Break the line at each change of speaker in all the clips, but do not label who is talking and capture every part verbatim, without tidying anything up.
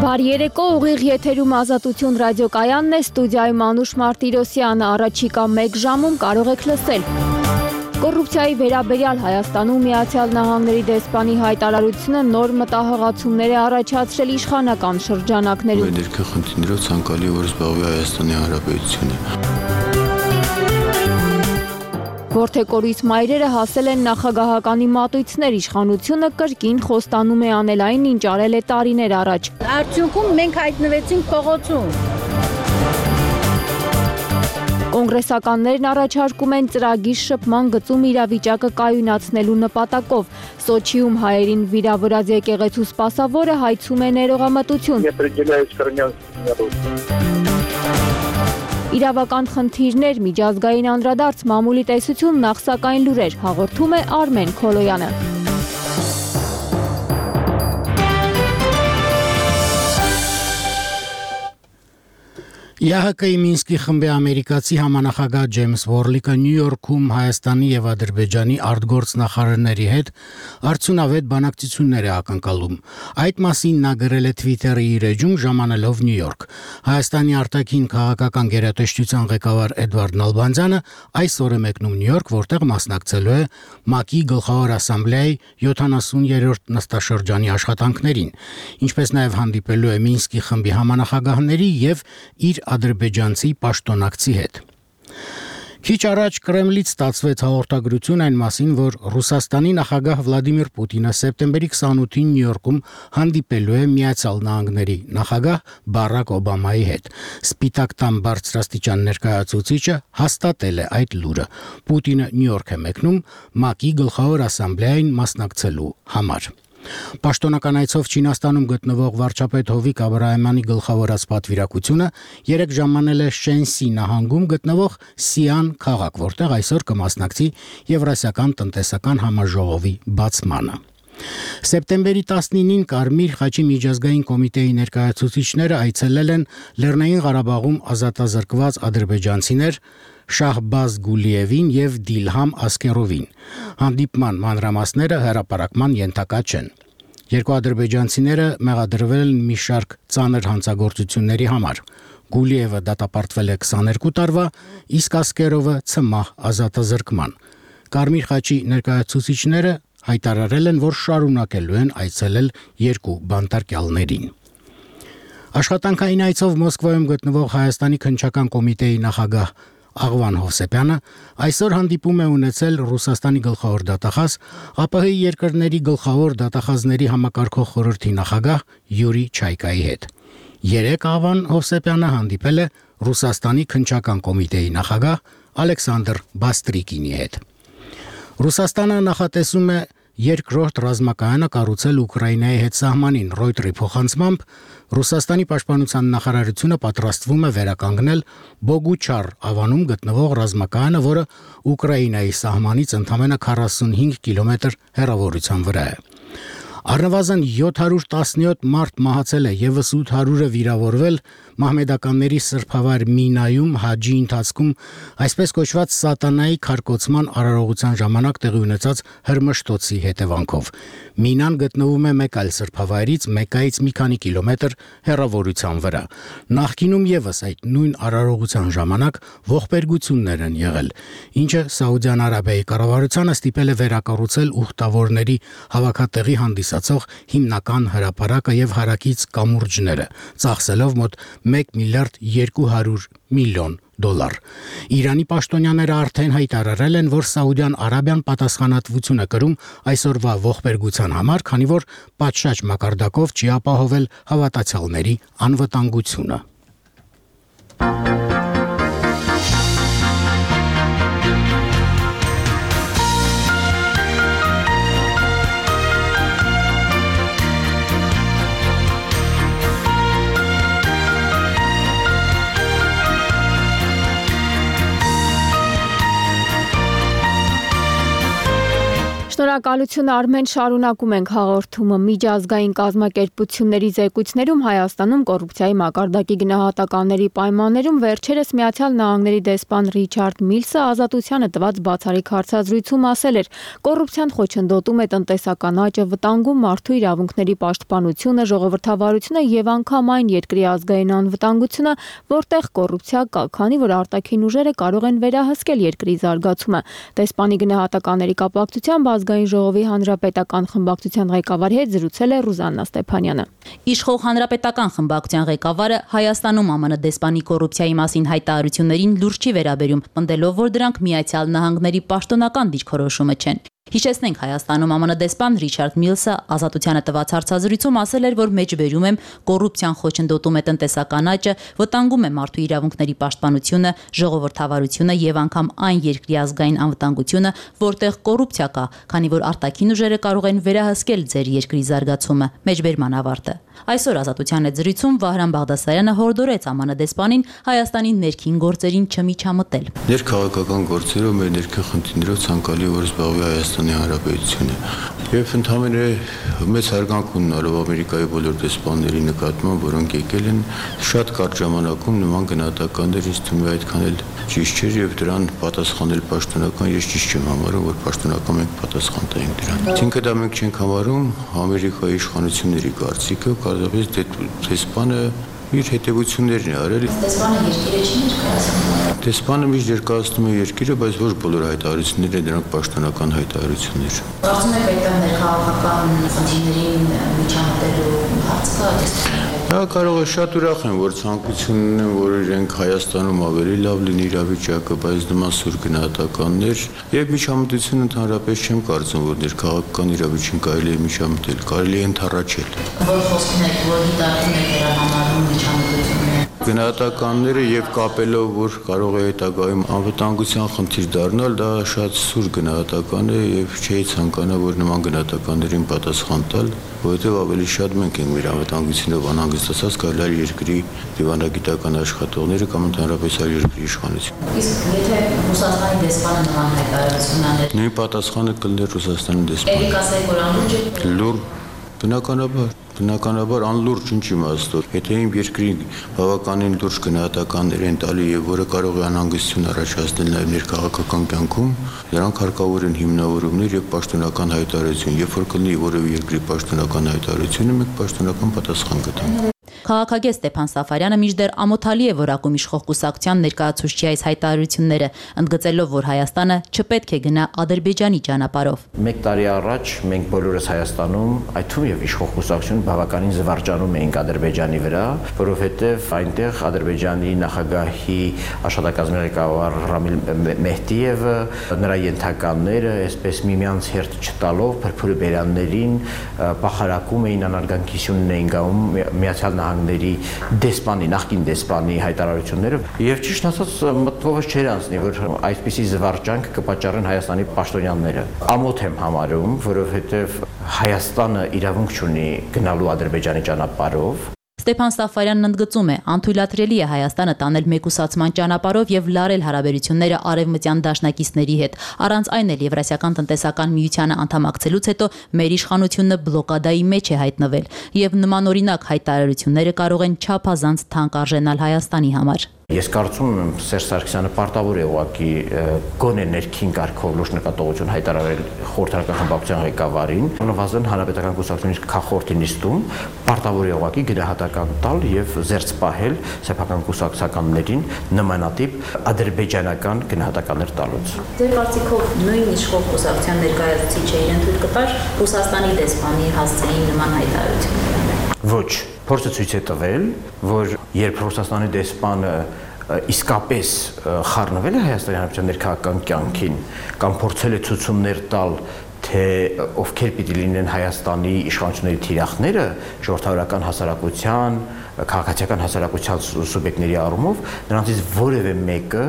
Բարի երեկո, ուղիղ եթերում Ազատություն ռադիոկայանն է, ստուդիայում Անուշ Մարտիրոսյանը, առաջիկա մեկ ժամում կարող եք լսել։ Կոռուպցիայի վերաբերյալ Հայաստանում Միացյալ Նահանգների դեսպանի հայտարարությունը նոր մտահղացումներ է առաջացրել իշխանական շրջանակներում։
Ներքին խնդիրներով ցանկալի որ զբաղվի Հայաստանի Հանրապետությունը։
Որդեկորից մայրերը հասել են նախագահականի մատույցներ, իշխանությունը կրկին խոստանում է անել այն, ինչ արել է տարիներ առաջ։
Արդյունքում մենք հայտնվեցինք փողոցում։
Կոնգրեսականներն առաջարկում են ծրագիր շփման գծում իրավիճակը կայունացնելու նպատակով։ Սոչիում հայերին վիրավորած եկեղեցու սպասավորը հայցում է ներողամտություն։ Իրավական խնդիրներ, միջազգային անդրադարձ, մամուլի տեսություն, նախսակային լուրեր, հաղորդում է Արմեն Քոլոյանը։
Ի Հ Կ-ի Մինսկի խմբի ամերիկացի համանախագահ Ջեյմս Վորլիկը Նյու Յորքում Հայաստանի եւ Ադրբեջանի արտգործնախարարների հետ արդյունավետ բանակցություններ է ակնկալում։ Այդ մասին նա գրել է Twitter-ի իր էջում ժամանելով Նյու Յորք։ Հայաստանի արտաքին քաղաքական գերատեսչության ղեկավար Էդվարդ Նալբանդյանը այսօր է մեկնում Նյու Յորք, որտեղ մասնակցելու է ՄԱԿ-ի գլխավոր ասամբլեայի յոթանասուներորդ նստաշրջանի աշխատանքներին, ինչպես նաեւ հանդիպելու է Մինսկի խմբի համանախագահների եւ իր ադրբեջանցի պաշտոնակցի հետ։ Քիչ առաջ Կրեմլից ստացվեց հաղորդագրություն այն մասին, որ Ռուսաստանի նախագահ Վլադիմիր Պուտինը սեպտեմբերի քսանութին Նյու Յորքում հանդիպելու է Միացյալ Նահանգների նախագահ Բարակ Օբամայի հետ։ Սպիտակ տան բարձրաստիճան ներկայացուցիչը հաստատել է այդ լուրը։ Պուտինը Նյու Յորք է մեկնում ՄԱԿ-ի գլխավոր ասամբլեային մասնակցելու համար։ Պաշտոնական այցով Չինաստանում գտնվող վարչապետ Հովիկ Աբրահամյանի գլխավորած պատվիրակությունը երեք ժամանել է Շենսի նահանգում գտնվող Սիան քաղաք, որտեղ այսօր կմասնակցի Եվրասիական տնտեսական համաժողովի բացմանը։ Սեպտեմբերի տասնինին Կարմիր խաչի միջազգային կոմիտեի ներկայացուցիչները այցելել են Լեռնային Ղարաբաղում ազատազրկված ադրբեջանցիներ Շահբազ Գուլիևին եւ Դիլհամ Ասկերովին։ Հանդիպման մանրամասները հրապարակման ենթակա չեն։ Երկու ադրբեջանցիները մեղադրվել են մի շարք ծանր հանցագործությունների համար։ Գուլիևը դատապարտվել է քսաներկու տարվա, իսկ Ասկերովը ցմահ ազատազրկման։ Կարմիր խաչի ներկայացուցիչները հայտարարել են, որ շարունակելու են այցելել երկու բանտարկյալներին։ Աշխատանքային այցով Մոսկվայում գտնվող Հայաստանի քննչական կոմիտեի նախագահ Աղվան Հովսեփյանը այսօր հանդիպում է ունեցել Ռուսաստանի գլխավոր դատախազ, ԱՊՀ-ի երկրների գլխավոր դատախազների համակարգող խորհրդի նախագահ Յուրի Չայկայի հետ։ Երեք Աղվան Հովսեփյանը հանդիպել է Ռուսաստանի քննչական կոմիտեի նախագահ Ալեքսանդր Բաստրիկինի հետ։ Ռուսաստանը նախատեսում է երկրորդ ռազմակայանը կառուցել Ուկրաինայի հետ սահմանին։ Ռոյտերի փոխանցմամբ Ռուսաստանի պաշտպանության նախարարությունը պատրաստվում է վերականգնել Բոգուչար ավանում գտնվող ռազմակայանը, որը Ուկրաինայի սահմանից ընդամենը քառասունհինգ կիլոմետր հեռավորության վրա է։ Առնվազն յոթ հարյուր տասնյոթ մարդ մահացել է, եւս ութ հարյուրը վիրավորվել մահմեդականների սրբավայր Մինայում հաջի ընթացքում այսպես կոչված սատանայի քարկոծման արարողության ժամանակ տեղի ունեցած հրմշտոցի հետևանքով։ Մինան գտնվում է մեկ այլ սրբավայրից Մեկայից մի քանի կիլոմետր հեռավորության վրա։ Նախկինում եւս այդ նույն արարողության ժամանակ ողբերգություններ են եղել, ինչը Սաուդյան Արաբիայի կառավարությանը ստիպել է վերակառուցել ուխտավորների հավաքատեղի հանդիսացող հիմնական հրապարակը եւ հարակից կամուրջները, ծախսելով մոտ մեկ միլիարդ երկու հարյուր միլիոն դոլար։ Իրանի պաշտոնյաները արդեն հայտարարել են, որ Սաուդյան Արաբիան պատասխանատվություն է կրում այսօրվա ողբերգության համար, քանի որ պատշաճ մակարդակով չի ապահովել հավատացյալների անվտանգությունը։
Շնորհակալություն Արմեն, շարունակում ենք հաղորդումը։ Միջազգային կազմակերպությունների զեկույցներում Հայաստանում կոռուպցիայի մակարդակի գնահատականների պայմաններում վերջերս Միացյալ Նահանգների դեսպան Ռիչարդ Միլսը Ազատությանը տված բացառիկ հարցազրույցում ասել էր. կոռուպցիան խոչընդոտում է տնտեսական աճը, վտանգում մարդու իրավունքների պաշտպանությունը, ժողովրդավարությունը եւ անգամ այն երկրի ազգային անվտանգությունը, որտեղ կոռուպցիա կա, քանի որ արտաքին ուժերը կարող են վերահսկել երկրի զարգացումը։ Դեսպանի գնահատականների կապակցությամբ Ազգային ժողովի հանրապետական խմբակցության ղեկավարի հետ զրուցել է Ռուզաննա Ստեփանյանը։
Իշխող հանրապետական խմբակցության ղեկավարը Հայաստանում ԱՄՆ դեսպանի կոռուպցիայի մասին հայտարարություններին լուրջ չի վերաբերում, պնդելով, որ դրանք Միացյալ Նահանգների պաշտոնական դիրքորոշումը չեն։ Հիշեցնենք, Հայաստանում ԱՄՆ դեսպան Ռիչարդ Միլսը Ազատությանը տված հարցազրույցում ասել էր, որ մեջբերում եմ կոռուպցիան խոչընդոտում է տնտեսական աճը, վտանգում է մարդու իրավունքների պաշտպանությունը, ժողովրդավարությունը եւ անգամ այն երկրի ազգային անվտանգությունը, որտեղ կոռուպցիա կա, քանի որ արտաքին ուժերը կարող են վերահսկել ձեր երկրի զարգացումը։ Մեջբերման ավարտը։ Այսօր Ազատության հետ զրույցում Վահրամ Բաղդասարյանը հորդորեց ԱՄՆ դեսպանին Հայաստանի ներքին գործերին չմիջամտել։
Ներքաղաքական գործերով մեր ներքին խնդիրներով ցանկալի որ զբաղվի Հայաստանի Հանրապետությունը եւ ընդհանրապես մեծ հարգանք ունենալով Ամերիկայի բոլոր դեսպանների նկատմամբ, որոնք եկել են շատ կարճ ժամանակում նման գնահատականներ ինձ թվում է այդքան էլ ճիշտ չէր եւ դրան պատասխանել պաշտոնական ես ճիշտ չեմ համարում, որ պաշտոնական մենք պատասխան տայինք դրան։ Ինքը դա մենք չենք համարում Ամերիկայի իշխանությունների կարծիքը, կարծես դեսպանը իր հետևություններն է արել։
Դեսպանը երկիրը չի ներկայացնում։
Դեսպանը միշտ ներկայացնում է երկիրը, բայց ոչ բոլոր հայտարարությունները դրանք պաշտոնական հայտարարություններ։
Կարծում եք այդտեղ ներքաղաքական խնդիրներին միջամտելու հարց կա դեսպանի։
Դա կարող է շատ ուրախ եմ, որ ցանկություն ունեն, որ իրենք Հայաստանում ավելի լավ լինի իրավիճակը, բայց նման սուր գնահատականներ եւ միջամտություն ընդհանրապես չեմ կարծում, որ ներքաղաքական իրավիճակին կարելի է միջամտել, կարելի է ընդառաջել։
Որ խոսքն է, որ դիտարկում եք վերահանարում միջամտությունները։
Գնահատականները եւ կապելով, որ կարող է հետագայում անվտանգության խնդիր դառնալ, դա շատ սուր գնահատական է եւ չի ցանկանա, որ նման գնահատականներին պատասխան տալ, որովհետեւ ավելի շատ մենք ենք մեր անվտանգությունով անհանգստացած կարելի է երկրի դիվանագիտական աշխատողները կամ ընդհանրապես այլ երկրի իշխանությունը։
Իսկ եթե Ռուսաստանի դեսպանը նման հայտարարություն աներ,
նույն պատասխանը կլներ Ռուսաստանի դեսպանը։
Էլի կասեք, որ անլուրջ է։
Լուր, բնականաբար Բնականաբար անլուրջ ինչ իմաստով, եթե իմ երկրի բավականին լուրջ գնահատականներ են տալի եւ որը կարող է անհանգստություն առաջացնել նաեւ ներքաղաքական կյանքում, դրանք հարկավոր են հիմնավորումներ եւ պաշտոնական հայտարարություն, երբ որ կլինի որևէ երկրի պաշտոնական հայտարարությունը, մենք պաշտոնական պատասխան կտանք։
Քաղաքագետ Ստեփան Սաֆարյանը մինչդեռ ամոթալի է որակում իշխող կուսակցության ներկայացուցչի այս հայտարարությունները, ընդգծելով, որ Հայաստանը չպետք է գնա Ադրբեջանի ճանապարհով։
Մեկ տարի առաջ մենք բոլորս Հայաստանում, այդ թվում եւ իշխող կուսակցություն բավականին զվարճանում էինք Ադրբեջանի վրա, որովհետեւ այնտեղ Ադրբեջանի նախագահի աշխատակազմի ղեկավար Ռամիլ Մեհդիևը, նրա ենթականները, այսպես միմյանց հերթ չտալով փրփուրի բերաններին պախարակում էին, անարգանքություն էին գաում Միացյալ Նահանգների դեսպանի, նախկին դեսպանի հայտարարությունները եւ ճիշտ ասած մտքովս չէր անցնի, որ այսպիսի զվարճանք կպատճառեն Հայաստանի պաշտոնյաները։ Ամոթ եմ համարում, որովհետեւ Հայաստանը իրավունք չունի գնալու Ադրբեջանի ճանապարհով։
Ստեփան Սաֆարյանն ընդգծում է, անթույլատրելի է Հայաստանը տանել մեկուսացման ճանապարհով եւ լարել հարաբերությունները արևմտյան դաշնակիցների հետ։ Առանց այն էլ Եվրասիական տնտեսական միությանը անդամակցելուց հետո մեր իշխանությունը բլոկադայի մեջ է հայտնվել եւ նմանօրինակ հայտարարությունները կարող են չափազանց թանկ արժենալ Հայաստանի համար։
Ես կարծում եմ Սերժ Սարգսյանը պարտավոր է ուղղակի գոնե ներքին կարգով լուրջ նկատողություն հայտարարել խորհրդարական խմբակցության ղեկավարին, նվազեն հանրապետական կուսակցությունից քաղաքորդի նիստում պարտավոր է ուղղակի գնահատական տալ եւ զերծ պահել սեփական կուսակցականներին նմանատիպ ադրբեջանական գնահատականներ տալուց։
Ձեր կարծիքով նույն իշխող կուսակցության ներկայացուցիչը իրեն թույլ կտար Ռուսաստանի դեսպանի հասցեին նման հայտարարություններ։
Ոչ, փորձը ցույց է տվել, որ երբ Ռուսաստանի դեսպանը իսկապես խառնվել է Հայաստանի Հանրապետության ներքաղաքական կյանքին կամ փորձել է ցուցումներ տալ, թե ովքեր պիտի լինեն Հայաստանի իշխանությունների թիրախները ժողովրդավարական հասարակության, քաղաքացիական հասարակության սուբյեկտների առումով, նրանցից որևէ մեկը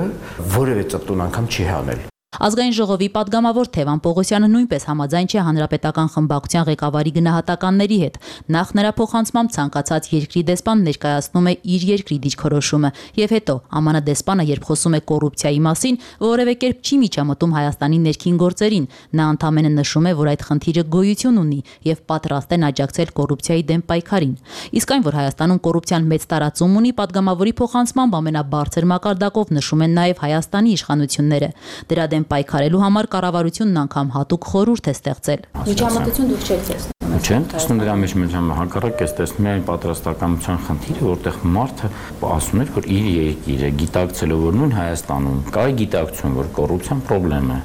որևէ ծպտուն անգամ չի հանել։
Ազգային ժողովի պատգամավոր Թևան Պողոսյանը նույնպես համաձայն չէ հանրապետական խմբակցության ղեկավարի գնահատականների հետ։ Նախ նրա փոխանցմամբ ցանկացած երկրի դեսպան ներկայացնում է իր երկրի դիրքորոշումը, եւ հետո ԱՄՆ դեսպանը, երբ խոսում է կոռուպցիայի մասին, որևէ կերպ չի միջամտում Հայաստանի ներքին գործերին։ Նա ընդամենը նշում է, որ այդ խնդիրը գոյություն ունի եւ պատրաստ են աջակցել կոռուպցիայի դեմ պայքարին։ Իսկ այն, որ Հայաստանում կոռուպցիան մեծ տարածում ունի, պատգամավորի փոխանցմամբ ամենաբարձր մակարդակով նշում են նաեւ Հայաստանի իշխանությունները։ Դրա դեմ պայքարելու համար կառավարությունն անգամ հատուկ խորհուրդ է ստեղծել։ Միջամտություն դուք չեք տեսնում։
Չեմ տեսնում դրա մեջ միջամ հակառակ ես տեսնում այն պատրաստականության խնդիրը, որտեղ մարդը ասում էր, որ իր երկիրը գիտակցելով, որ նույն Հայաստանում կա գիտակցություն, որ կոռուպցիան խնդրեմ է,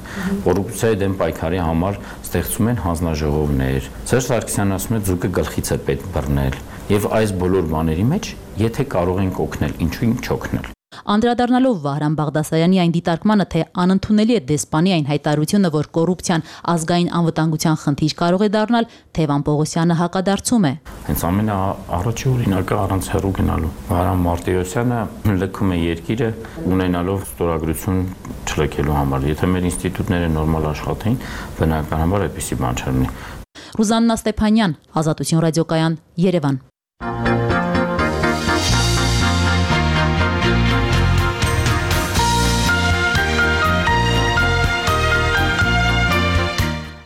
կոռուպցիայի դեմ պայքարի համար ստեղծում են հանձնաժողովներ։ Սերժ Սարգսյանն ասում է, ձուկը գլխից է պետք բռնել, եւ այս բոլոր բաների մեջ, եթե կարող ենք օգնել, ինչու չօգնել։
Անդրադառնալով Վահրամ Բաղդասարյանի այն դիտարկմանը, թե անընդունելի է դեսպանի այն հայտարարությունը, որ կոռուպցիան ազգային անվտանգության խնդիր կարող է դառնալ, Թևան Պողոսյանը հակադարձում է։
Հենց ամենաառաջի օրինակը առանց հեռու գնալու։ Վահրամ Մարտիրոսյանը լքում է երկիրը ունենալով ստորագրություն չլքելու համար։ Եթե մեր ինստիտուտները նորմալ աշխատեին, բնականաբար այդպիսի բան չլինի։
Ռուզաննա Ստեփանյան, Ազատություն ռադիոկայան, Երևան։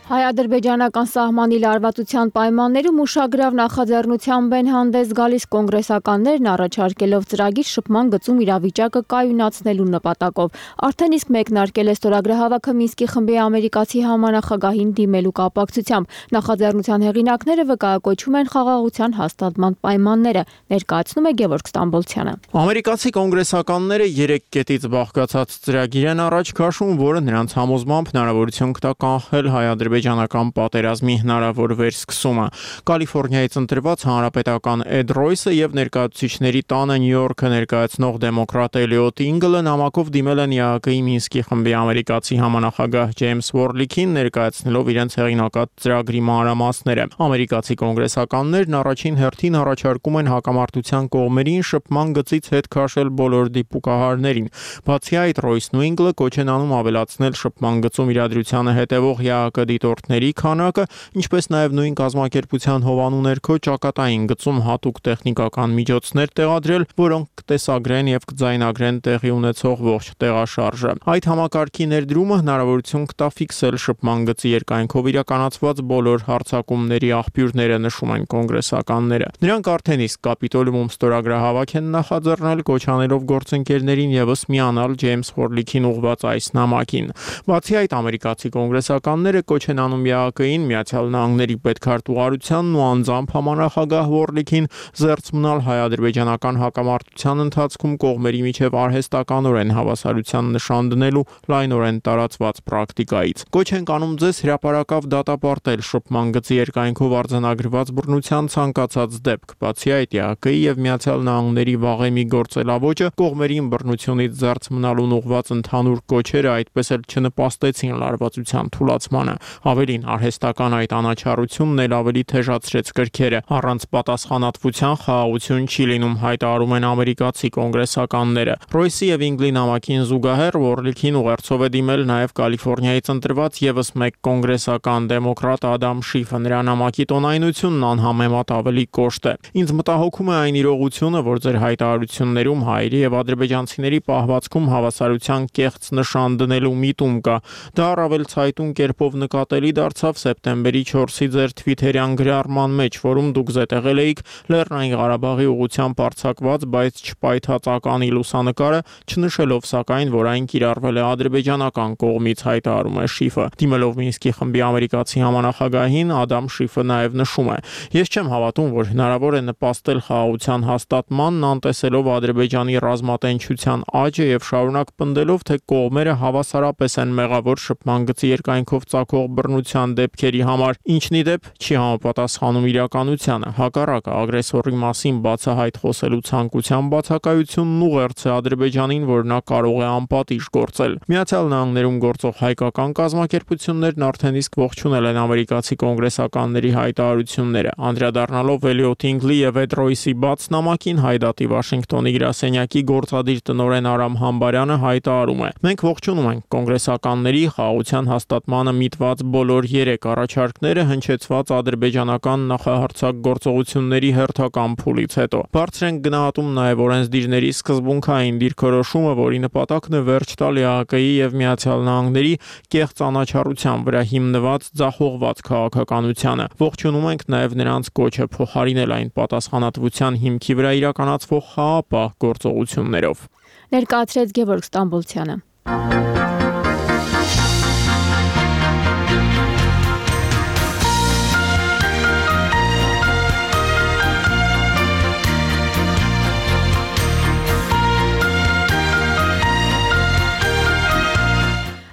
Հայ-ադրբեջանական սահմանի լարվածության պայմաններում ուշագրավ նախաձեռնությամբ են հանդես գալիս կոնգրեսականներն առաջարկելով ծրագիր շփման գծում իրավիճակը կայունացնելու նպատակով։ Արդեն իսկ մեկնարկել է ստորագրահավաքը Մինսկի խմբի ամերիկացի համանախագահին դիմելու կապակցությամբ։ Նախաձեռնության հեղինակները վկայակոչում են խաղաղության հաստատման պայմանները, ներկայացնում է Գևորգ Ստամբոլցյանը։
Ամերիկացի կոնգրեսականները երեք կետից բաղկացած ծրագիր են առաջ քաշում, որը նրանց համոզմամբ հնարավորություն կտա կանխել հայ-ադրբեջանական պատերազմի հնարավոր վերսկսումը։ Կալիֆոռնիայից ընտրված հանրապետական Էդ Ռոյսը եւ ներկայացուցիչների տանը Նյու Յորքը ներկայացնող դեմոկրատ Էլիոտ Ինգլը նամակով դիմել են ԵԱՀԿ-ի Մինսկի խմբի ամերիկացի համանախագահ Ջեյմս Վորլիքին, ներկայացնելով իրենց հեղինակած ծրագրի մանրամասները։ Ամերիկացի կոնգրեսականներն առաջին հերթին առաջարկում են հակամարտության կողմերին շփման գծից հետ քաշել բոլոր դիպուկահարներին։ Բացի այդ, Ռոյսն ու Ինգլը կոչ են անում ավելացնել շփման գծում իրադրությանը հետևող ԵԱՀԿ դիտորդների քանակը, ինչպես նաև նույն կազմակերպության հովանու ներքո ճակատային գծում հատուկ տեխնիկական միջոցներ տեղադրել, որոնք կտեսագրեն եւ կձայնագրեն տեղի ունեցող ողջ տեղաշարժը։ Այդ համակարգի ներդրումը հնարավորություն կտա ֆիքսել շփման գծի երկայնքով իրականացված բոլոր հարձակումների աղբյուրները, նշում են կոնգրեսականները։ Նրանք արդեն իսկ Կապիտոլիումում ստորագրահավաք են նախաձեռնել, կոչ անելով գործընկերներին եւս միանալ Ջեյմս Վորլիքին ուղղված այս նամակին։ Բացի այդ, ամերիկացի կոնգրեսականները կոչ են անում ԵԱՀԿ-ին, Միացյալ Նահանգների պետքարտուղարությանն ու անձամբ համանախագահ Վորլիքին զերծ մնալ հայ-ադրբեջանական հակամարտության ընթացքում կողմերի միջև արհեստականորեն հավասարության նշան դնելու լայնորեն տարածված պրակտիկայից։ Կոչ են անում ձեզ հրապարակավ դատապարտել շփման գծի երկայնքով արձանագրված բռնության ցանկացած դեպք։ Բացի այդ, ԵԱՀԿ-ի եւ Միացյալ Նահանգների վաղեմի գործելավոճը կողմերին բռնությունից զերծ մնալուն ուղղված ընդհանուր կոչերը այդպես էլ չնպաստեցին լարվածության թուլացմանը։ Ավելին, արհեստական այդ անաչառությունն էլ ավելի թեժացրեց կրքերը։ Առանց պատասխանատվության խաղաղություն չի լինում, հայտարարում են ամերիկացի կոնգրեսականները։ Ռոյսի եւ Ինգլի նամակին զուգահեռ Վորլիքին ուղերձով է դիմել նաեւ Կալիֆոռնիայից ընտրված եւս մեկ կոնգրեսական դեմոկրատ Ադամ Շիֆը։ Նրա նամակի տոնայնությունն անհամեմատ ավելի կոշտ է։ Ինձ մտահոգում է այն իրողությունը, որ ձեր հայտարարություններում հայերի եւ ադրբեջանցիների պահվածքում հավասարության կեղծ նշան դնելու միտում կա։ Դա առավել ցայտուն կերպով նկատելի դարձավ սեպտեմբերի չորսի ձեր թվիթերյան գրառման մեջ, որում դուք զետեղել էիք Լեռնային Ղարաբաղի ուղղությամբ արձակված, բայց չպայթած ականի լուսանկարը, չնշելով սակայն, որ այն կիրառվել է ադրբեջանական կողմից, հայտարարում է Շիֆը։ Դիմելով Մինսկի խմբի ամերիկացի համանախագահին, Ադամ Շիֆը նաև նշում է. Ես չեմ հավատում, որ հնարավոր է նպաստել խաղաղության հաստատմանն, անտեսելով Ադրբեջանի ռազմատենչության աճը եւ շարունակ պնդելով, թե կողմերը հավասարապես են մեղավոր շփման գծի երկայնքով ծագող բռնության պաշտպանության դեպքերի համար, ինչն ի դեպ չի համապատասխանում իրականությանը։ Հակառակը, ագրեսորի մասին բացահայտ խոսելու ցանկության բացակայությունն ուղերձ է Ադրբեջանին, որ նա կարող է անպատիժ գործել։ Միացյալ Նահանգներում գործող հայկական կազմակերպություններն արդեն իսկ ողջունել են ամերիկացի կոնգրեսականների հայտարարությունները, անդրադառնալով Էլիոտ Ինգլի եւ Էդ Ռոյսի բաց նամակին Հայդատի Վաշինգտոնի գրասենյակի գործադիր տնօրեն Արամ Համբարյանը հայտարարում է. «Մենք ողջունում ենք կոնգրեսականների խաղաղության հաստատմանը միտված բոլոր երեք առաջարկները հնչեցված ադրբեջանական նախահարձակ գործողությունների հերթական փուլից հետո։ Բարձր ենք գնահատում նաեւ օրենսդիրների սկզբունքային դիրքորոշումը, որի նպատակն է վերջ տալ ԵԱՀԿ-ի եւ Միացյալ Նահանգների կեղծ անաչառության վրա հիմնված ձախողված քաղաքականությանը։ Ողջունում ենք նաեւ նրանց կոչը փոխարինել այն պատասխանատվության հիմքի վրա իրականացվող խաղաղապահ գործողություններով»,
ներկայացրեց Գևորգ Ստամբոլցյանը։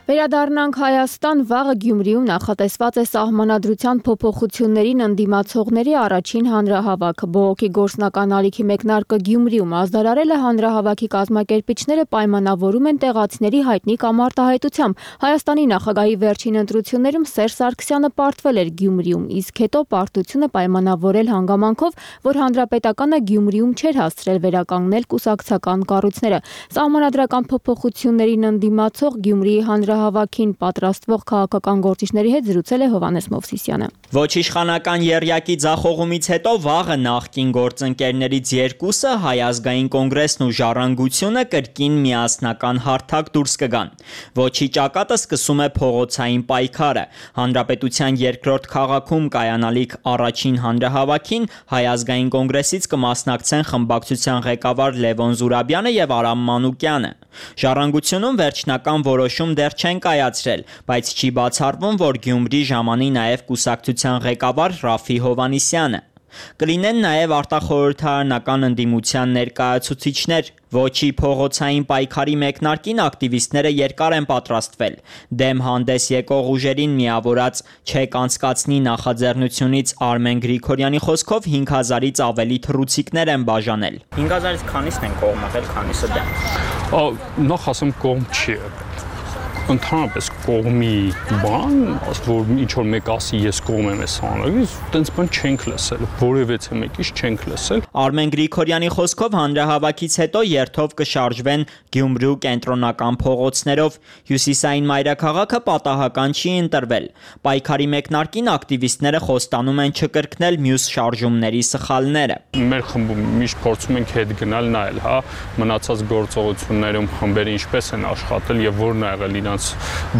Վերադառնանք Հայաստան, վաղը Գյումրիում նախատեսված է սահմանադրության փոփոխություններին ընդդիմացողների առաջին հանրահավաքը։ Բողոքի գործնական ալիքի մեկնարկը Գյումրիում ազդարարելը հանրահավաքի կազմակերպիչները պայմանավորում են տեղացիների հայտնի կամ արտահայտությամբ։ Հայաստանի նախագահի վերջին ընտրություններում Սերժ Սարգսյանը պարտվել էր Գյումրիում, իսկ հետո պարտությունը պայմանավորել հանգամանքով, որ հանրապետականը Գյումրիում չէր հասցրել վերականգնել կուսակցական կառույցները։ Սահմանադրական փոփոխություններին ընդդիմացող Գյումրիի հանրահավաքին պատրաստվող քաղաքական գործիչների հետ զրուցել է Հովհաննես Մովսիսյանը։
Ոչ իշխանական եռյակի ձախողումից հետո վաղը նախկին գործընկերներից երկուսը Հայ ազգային կոնգրեսն ու Ժառանգությունը կրկին միասնական հարթակ դուրս կգան։ Ոչի ճակատը սկսում է փողոցային պայքարը։ Հանրապետության երկրորդ քաղաքում կայանալիք առաջին հանրահավաքին Հայ ազգային կոնգրեսից կմասնակցեն խմբակցության ղեկավար Լևոն Զուրաբյանը եւ Արամ Մանուկյանը։ Ժառանգությունում վերջնական որոշում դեռ չեն կայացրել, բայց չի բացառվում, որ Գյումրի ժամանի նաև կուսակցության ղեկավար Ռաֆի Հովհաննիսյանը։ Կլինեն նաև արտախորհրդարանական ընդդիմության ներկայացուցիչներ։ Ոչի փողոցային պայքարի մեկնարկին ակտիվիստները երկար են պատրաստվել։ Դեմ հանդես եկող ուժերին միավորած չեք անցկացնի նախաձեռնությունից Արմեն Գրիգորյանի խոսքով հինգ հազարից ավելի թռուցիկներ են բաժանել։
հինգ հազարից քանիսն են կողմ եղել, քանիսը դեմ։
Նախ ասեմ կողմ չի ընդհանրապես կողմի բան, որ ինչ որ մեկ ասի ես կողմ եմ ես հանրագիր, տենց բան չենք լսել, որևէցե մեկից չենք լսել։
Արմեն Գրիգորյանի խոսքով հանրահավաքից հետո երթով կշարժվեն Գյումրու կենտրոնական փողոցներով։ Հյուսիսային մայրաքաղաքը պատահական չի ընտրվել։ Պայքարի մեկնարկին ակտիվիստները խոստանում են չկրկնել մյուս շարժումների սխալները։
Մեր խմբում միշտ փորձում ենք հետ գնալ նայել, հա, մնացած գործողություններում խմբերը ինչպես են աշխատել եւ որն ա եղել իրենց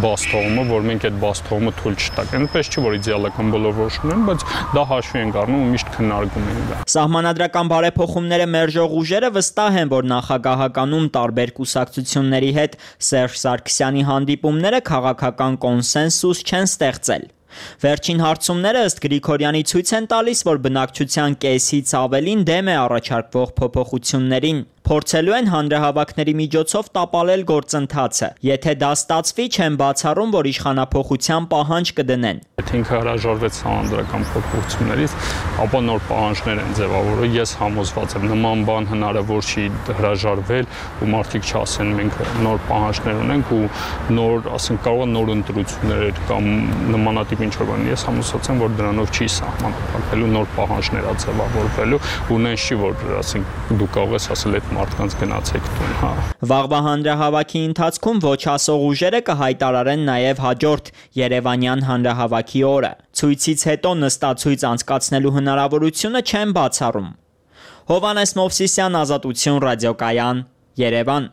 բաստողումը, որ մենք այդ բաստողումը թույլ չտանք։ Այնպես չի, որ իդեալական բոլոր որոշումներ են, բայց դա հաշվի ենք առնում ու միշտ քննարկում ենք դա։
Սահմանադրական բարեփոխումները մերժող ուժերը վստահ են, որ նախագահականում տարբեր կուսակցությունների հետ Սերժ Սարգսյանի հանդիպումները քաղաքական կոնսենսուս չեն ստեղծել։ Վերջին հարցումները ըստ Գրիգորյանի ցույց են տալիս, որ բնակչության կեսից ավելին դեմ է առաջարկվող փոփոխություններին։ Փորձելու են հանրահավաքների միջոցով տապալել գործընթացը։ Եթե դա ստացվի, չեն բացառում, որ իշխանափոխության պահանջ կդնեն։
Եթե ինքը հրաժարվեց սահմանադրական փոփոխություններից, ապա նոր պահանջներ են ձևավորել։ Ես համոզված եմ, նման բան հնարավոր չի հրաժարվել ու մարդիկ չասեն մենք նոր պահանջներ ունենք ու նոր, ասենք, կարող է նոր ընտրություններ կամ նմանատիպ ինչ-որ բան։ Ես համոզված եմ, որ դրանով չի սահմանափակվելու, նոր պահանջներ ա ձևավորվելու ու նենց չի, որ ասենք դու կարող ես ասել այդ մարդկանց գնացեք տուն, հա։
Վաղվա հանրահավաքի ընթացքում ոչ ասող ուժերը կհայտարարեն նաև հաջորդ Երևանյան հանրահավաքի օրը։ Ցույցից հետո նստացույց անցկացնելու հնարավորությունը չեն բացառում։ Հովհաննես Մովսիսյան, Ազատություն, ռադիոկայան, Երևան։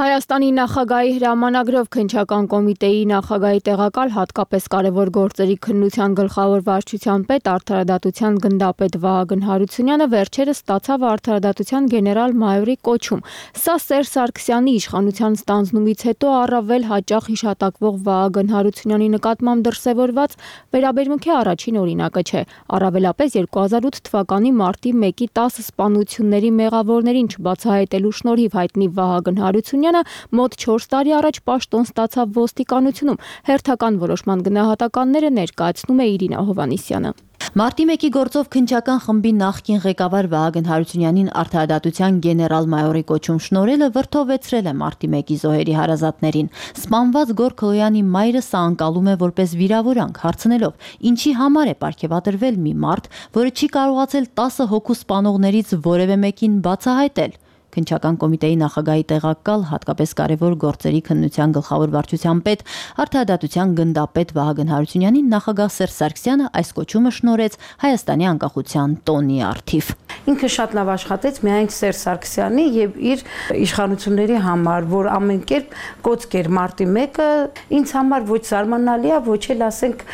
Հայաստան Հայաստանի նախագահի հրամանագրով քննչական կոմիտեի նախագահի տեղակալ հատկապես կարևոր գործերի քննության գլխավոր վարչության պետ արդարադատության գնդապետ Վահագն Հարությունյանը վերջերս ստացավ արդարադատության գեներալ-մայորի կոչում։ Սա Սերժ Սարգսյանի իշխանության ստանձնումից հետո առավել հաճախ հիշատակվող Վահագն Հարությունյանի նկատմամբ դրսևորված վերաբերմունքի առաջին օրինակը չէ։ Առավելապես երկու հազար ութ թվականի մարտի մեկի տասը սպանությունների մեղավորներին չբացահայտելու շնորհիվ հայտնի Վահագն Հարությունյանը մոտ չորս տարի առաջ պաշտոն ստացավ ոստիկանությունում։ Հերթական որոշման գնահատականները ներկայացնում է Իրինա Հովհաննիսյանը։
Մարտի մեկի գործով քննչական խմբի նախկին ղեկավար Վահագն Հարությունյանին արդարադատության գեներալ-մայորի կոչում շնորհելը վրդովեցրել է մարտի մեկի զոհերի հարազատներին։ Սպանված Գոր Քլոյանի մայրը սա անցալում է որպես վիրավորանք, հարցնելով, ինչի համար է պարգևատրվել մի մարդ, որը չի կարողացել տասը հոգու սպանողներից որևէ մեկին բացահայտել։ Քննչական կոմիտեի նախագահի տեղակալ հատկապես կարևոր գործերի քննության գլխավոր վարչության պետ արդարադատության գնդապետ Վահագն Հարությունյանին նախագահ Սերժ Սարգսյանը այս կոչումը շնորհեց Հայաստանի անկախության տոնի առթիվ։
Ինքը շատ լավ աշխատեց միայն Սերժ Սարգսյանի եւ իր իշխանությունների համար, որ ամեն կերպ կոծկ էր մարտի մեկը, ինձ համար ոչ զարմանալի է, ոչ էլ ասենք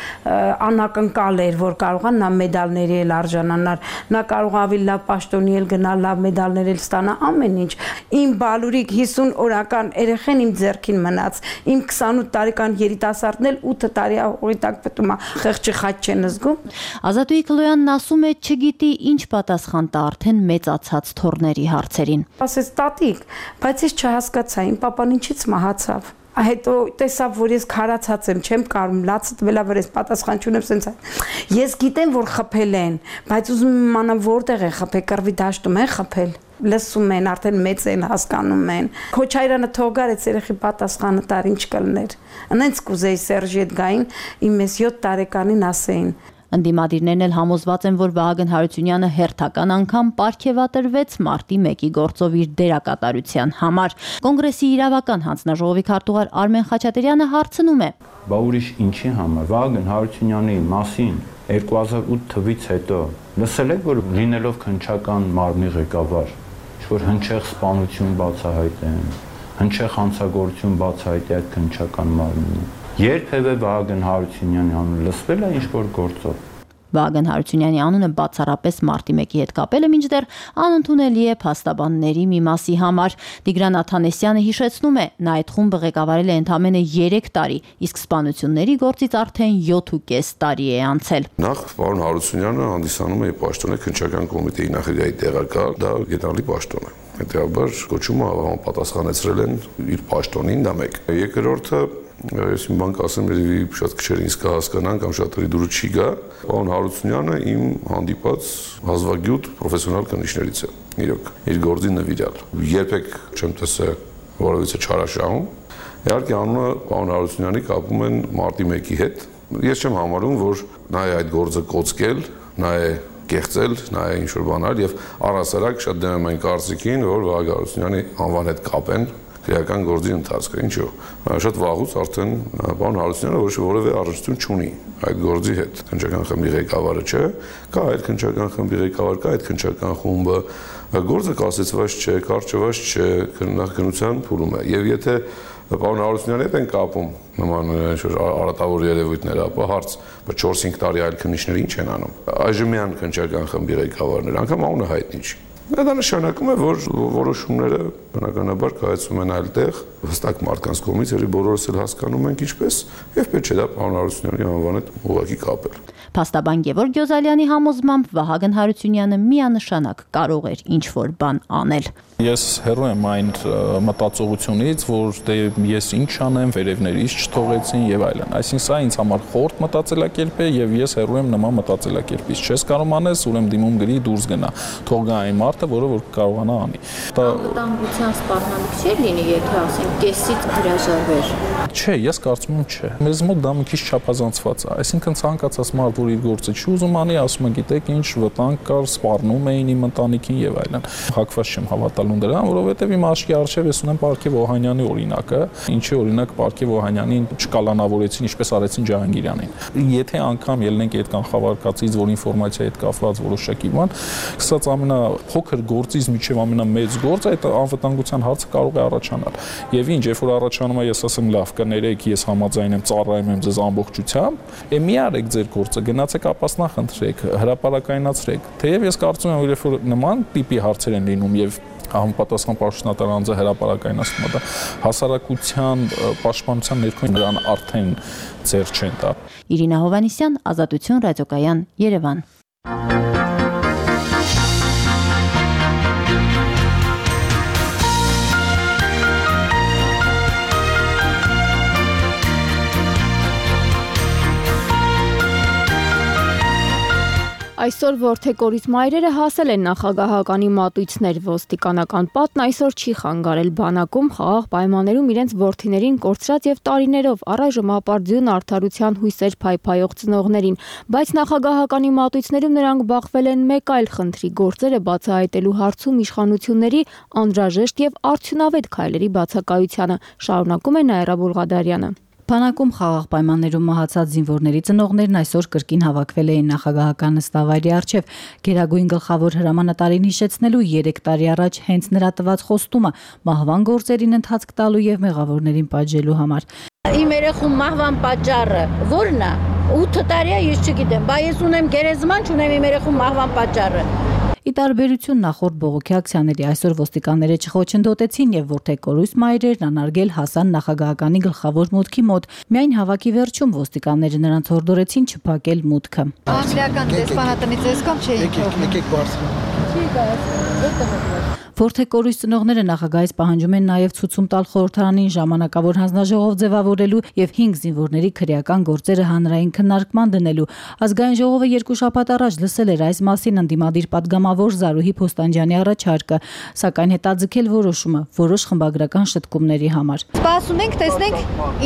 անակնկալ էր, որ կարողան նա մեդալների էլ արժանանալ, նա կարող ավելի լավ պաշտոնի էլ գնալ, լավ մեդալներ էլ ստանա, ամեն ինչ։ Իմ բալուրիկ հիսուն օրական երեխեն իմ ձեռքին մնաց, իմ քսանութ տարեկան երիտասարդն էլ ութ տարի հողի տակ պտում է, խեղճի խաչ չեն զգում։
Ազատուհի Քլոյանն ասում է, չգիտի ինչ պատասխան տա արդեն մեծացած թորների հարցերին։
Ասես տատիկ, բայց ես չհասկացա, իմ պապան ինչից մահացավ։ Հետո տեսավ, որ ես քարացած եմ, չեմ կարում, լացը տվելա, որ ես պատասխան չունեմ, սենց ես գիտեմ, որ խփել են, բայց ուզում եմ իմանամ որտեղ է խփել, կռվի դաշտում են խփել։ Լսում են, արդեն մեծ են, հասկանում են։ Քոչայրանը թող գարեց երեխի պատասխանը տար ինչ կլներ։ Անենց կուզեի Սերժի հետ գային, իմ ես յոթ տարեկանին ասեին։
Ընդդիմադիրներն էլ համոզված են, որ Վահագն Հարությունյանը հերթական անգամ պարգևատրվեց մարտի մեկի գործով իր դերակատարության համար։ Կոնգրեսի իրավական հանձնաժողովի քարտուղար Արմեն Խաչատրյանը հարցնում է.
Բա ուրիշ ինչի համար Վահագն Հարությունյանի մասին երկու հազար ութ թվականից հետո լսել եք, որ լինելով քննչական մարմնի ղեկավար, ինչ-որ հնչեղ սպանություն բացահայտեն, հնչեղ հանցագործություն բացահայտի այդ քննչական մարմնին։ Երբևէ Վահագն Հարությունյանի անունը լսվել է ինչ-որ գործով։
Վահագն Հարությունյանի անունը բացառապես մարտի մեկի հետ կապելը մինչդեռ անընդունելի է փաստաբանների մի մասի համար։ Տիգրան Աթանեսյանը հիշեցնում է, նա այդ խումբը ղեկավարել է ընդամենը երեք տարի, իսկ սպանությունների գործից արդեն յոթ ու կես տարի է անցել։
Նախ պարոն Հարությունյանը հանդիսանում է պաշտոնը քննչական կոմիտեի նախագահի տեղակալ, դա գեներալի պաշտոն է։ Հետևաբար կոչումը պատասխանեցրել են իր պաշտոնին, դա մեկ։ Երկրորդը ես իմ բան կասեմ, երևի շատ քչեր ինձ կհասկանան կամ շատերի դուրս չի գա, պարոն Հարությունյանը իմ հանդիպած հազվագյուտ պրոֆեսիոնալ կնիչներից է, իրոք, իր գործի նվիրյալ։ Երբեք չեմ տեսել որևիցե չարաշահում։ Իհարկե անունը պարոն Հարությունյանի կապում են մարտի մեկի հետ։ Ես չեմ համարում, որ նա է այդ գործը կոծկել, նա է կեղծել, նա է ինչ-որ բանալ եւ առհասարակ շատ դեմ եմ այն կարծիքին, որ Վահագն Հարությունյանի անվան հետ կապեն քրեական գործի ընթացքը, ինչու։ Շատ վաղուց արդեն պարոն Հարությունյանը ոչ որևէ առնչություն չունի այդ գործի հետ։ Քննչական խմբի ղեկավարը չէ, կա այդ քննչական խմբի ղեկավար, կա այդ քննչական խումբը, գործը կասեցված չէ, կարճված չէ, քննության փուլում է։ Եվ եթե պարոն Հարությունյանի հետ են կապում նման ինչ-որ արատավոր երևույթներ, ապա հարց, բայց չորս-հինգ տարի այլ քննիչներ ինչ են անում։ Այժմյան քննչական խմբի ղեկավարներ, անգամ անունը հայտնի չի։ Դա նշանակում է, որ որոշումները բնականաբար կայացում են այլտեղ, հստակ մարդկանց կողմից, երբ բոլորս էլ հասկանում ենք ինչպես, եւ պետք չէ դա պարոն Հարությունյանի անվան հետ ուղղակի կապել։
Փաստաբան Գևորգ Գյոզալյանի համոզմամբ Վահագն Հարությունյանը միանշանակ կարող էր ինչ-որ բան անել։
Ես հեռու եմ այն մտածողությունից, որ դե ես ինչ անեմ, վերևներից չթողեցին եւ այլն։ Այսինքն սա ինձ համար խորտ մտածելակերպ է եւ ես հեռու եմ նման մտածելակերպից։ Չես կարող անես, ուրեմն դիմում գրի դուրս գնա։ Թող գա այն մարդը, որը որ կարողանա անի։
Դա անվտանգության սպառնալիք չէ լինի, եթե ասենք կեսից հրաժարվեր։
Չէ, ես կարծում եմ չէ։ Մեզ մոտ դա մի քիչ չափազանցված է։ Այսինքն ցանկացած մարդ, որ իր գործը չի ուզում անի, ասում է, գիտեք, ինչ վտանգ կար, սպառնում էին իմ ընտանիքին եւ այլն։ Հակված չեմ հավատալու դրան, որովհետեւ իմ աչքի առջեւ ես ունեմ Պարքև Օհանյանի օրինակը, ինչի օրինակ Պարքև Օհանյանին չկալանավորեցին, ինչպես արեցին Ջահանգիրյանին։ Եթե անգամ ելնենք այդ կանխավարկածից, որ ինֆորմացիայի հետ կապված որոշակի բան, սկսած ամենափոքր
ամենափոքր գործից մինչև ամենամեծ գործ այդ անվտանգության հարցը կարող է առաջանալ։ Եվ ինչ, երբ որ առաջանում է, ես ասեմ, լավ, կներեք, ես համաձայն եմ, ծառայում եմ ձեզ ամբողջությամբ, է մի արեք ձեր գործը, գնացեք ապասնախնդրեք, հրապարակայնացրեք։ Թեև ես կարծում եմ, երբ որ նման տիպի հարցեր են լինում եւ համապատասխան պաշտոնատար անձը հրապարակայնացնում է, դա հասարակության պաշտպանության ներքո նրան արդեն ձեռ չեն տա։
Իրինա Հովանիսյան, Ազատություն ռադիոկայան, Երևան։
Այսօր որդեկորից մայրերը հասել են նախագահականի մատույցներ, ոստիկանական պատն այսօր չի խանգարել բանակում խաղաղ պայմաններում իրենց որդիներին կորցրած եւ տարիներով առայժմ ապարդյուն արդարության հույսեր փայփայող ծնողներին, բայց նախագահականի մատույցներում նրանք բախվել են մեկ այլ խնդրի՝ գործերը բացահայտելու հարցում իշխանությունների անհրաժեշտ եւ արդյունավետ քայլերի բացակայությանը, շարունակում է Նաիրա Բուլղադարյանը։
Բանակում խաղաղ պայմաններում մահացած զինվորների ծնողներն այսօր կրկին հավաքվել էին նախագահական նստավայրի առջև գերագույն գլխավոր հրամանատարին հիշեցնելու երեք տարի առաջ հենց նրա տված խոստումը մահվան գործերին ընթացք տալու եւ մեղավորներին պատժելու համար։
Իմ երեխու մահվան պատճառը ո՞րն է։ ութ տարի է, ես չգիտեմ, բայց ես ունեմ գերեզման, չունեմ իմ երեխու մահվան պատճառը։
Ի տարբերություն նախորդ բողոքի ակցիաների այսօր ոստիկանները չխոչընդոտեցին եւ որդեկորույս մայրերն անարգել հասան նախագահականի գլխավոր մուտքի մոտ։ Միայն հավաքի վերջում ոստիկանները նրանց հորդորեցին չփակել մուտքը։
Անգլիական դեսպանատնից եսկամ չէի թողնում։ Եկեք բարձր։ Չի գայս։
Որդեկորույս ծնողները նախագահից պահանջում են նաև ցուցում տալ խորհրդարանին ժամանակավոր հանձնաժողով ձևավորելու եւ հինգ զինվորների քրեական գործերը հանրային քննարկման դնելու։ Ազգային ժողովը երկու շաբաթ առաջ լսել էր այս մասին ընդդիմադիր պատգամավոր Զարուհի Փոստանջյանի առաջարկը, սակայն հետաձգել որոշումը որոշ խմբագրական շտկումների համար։
Սպասում ենք, տեսնենք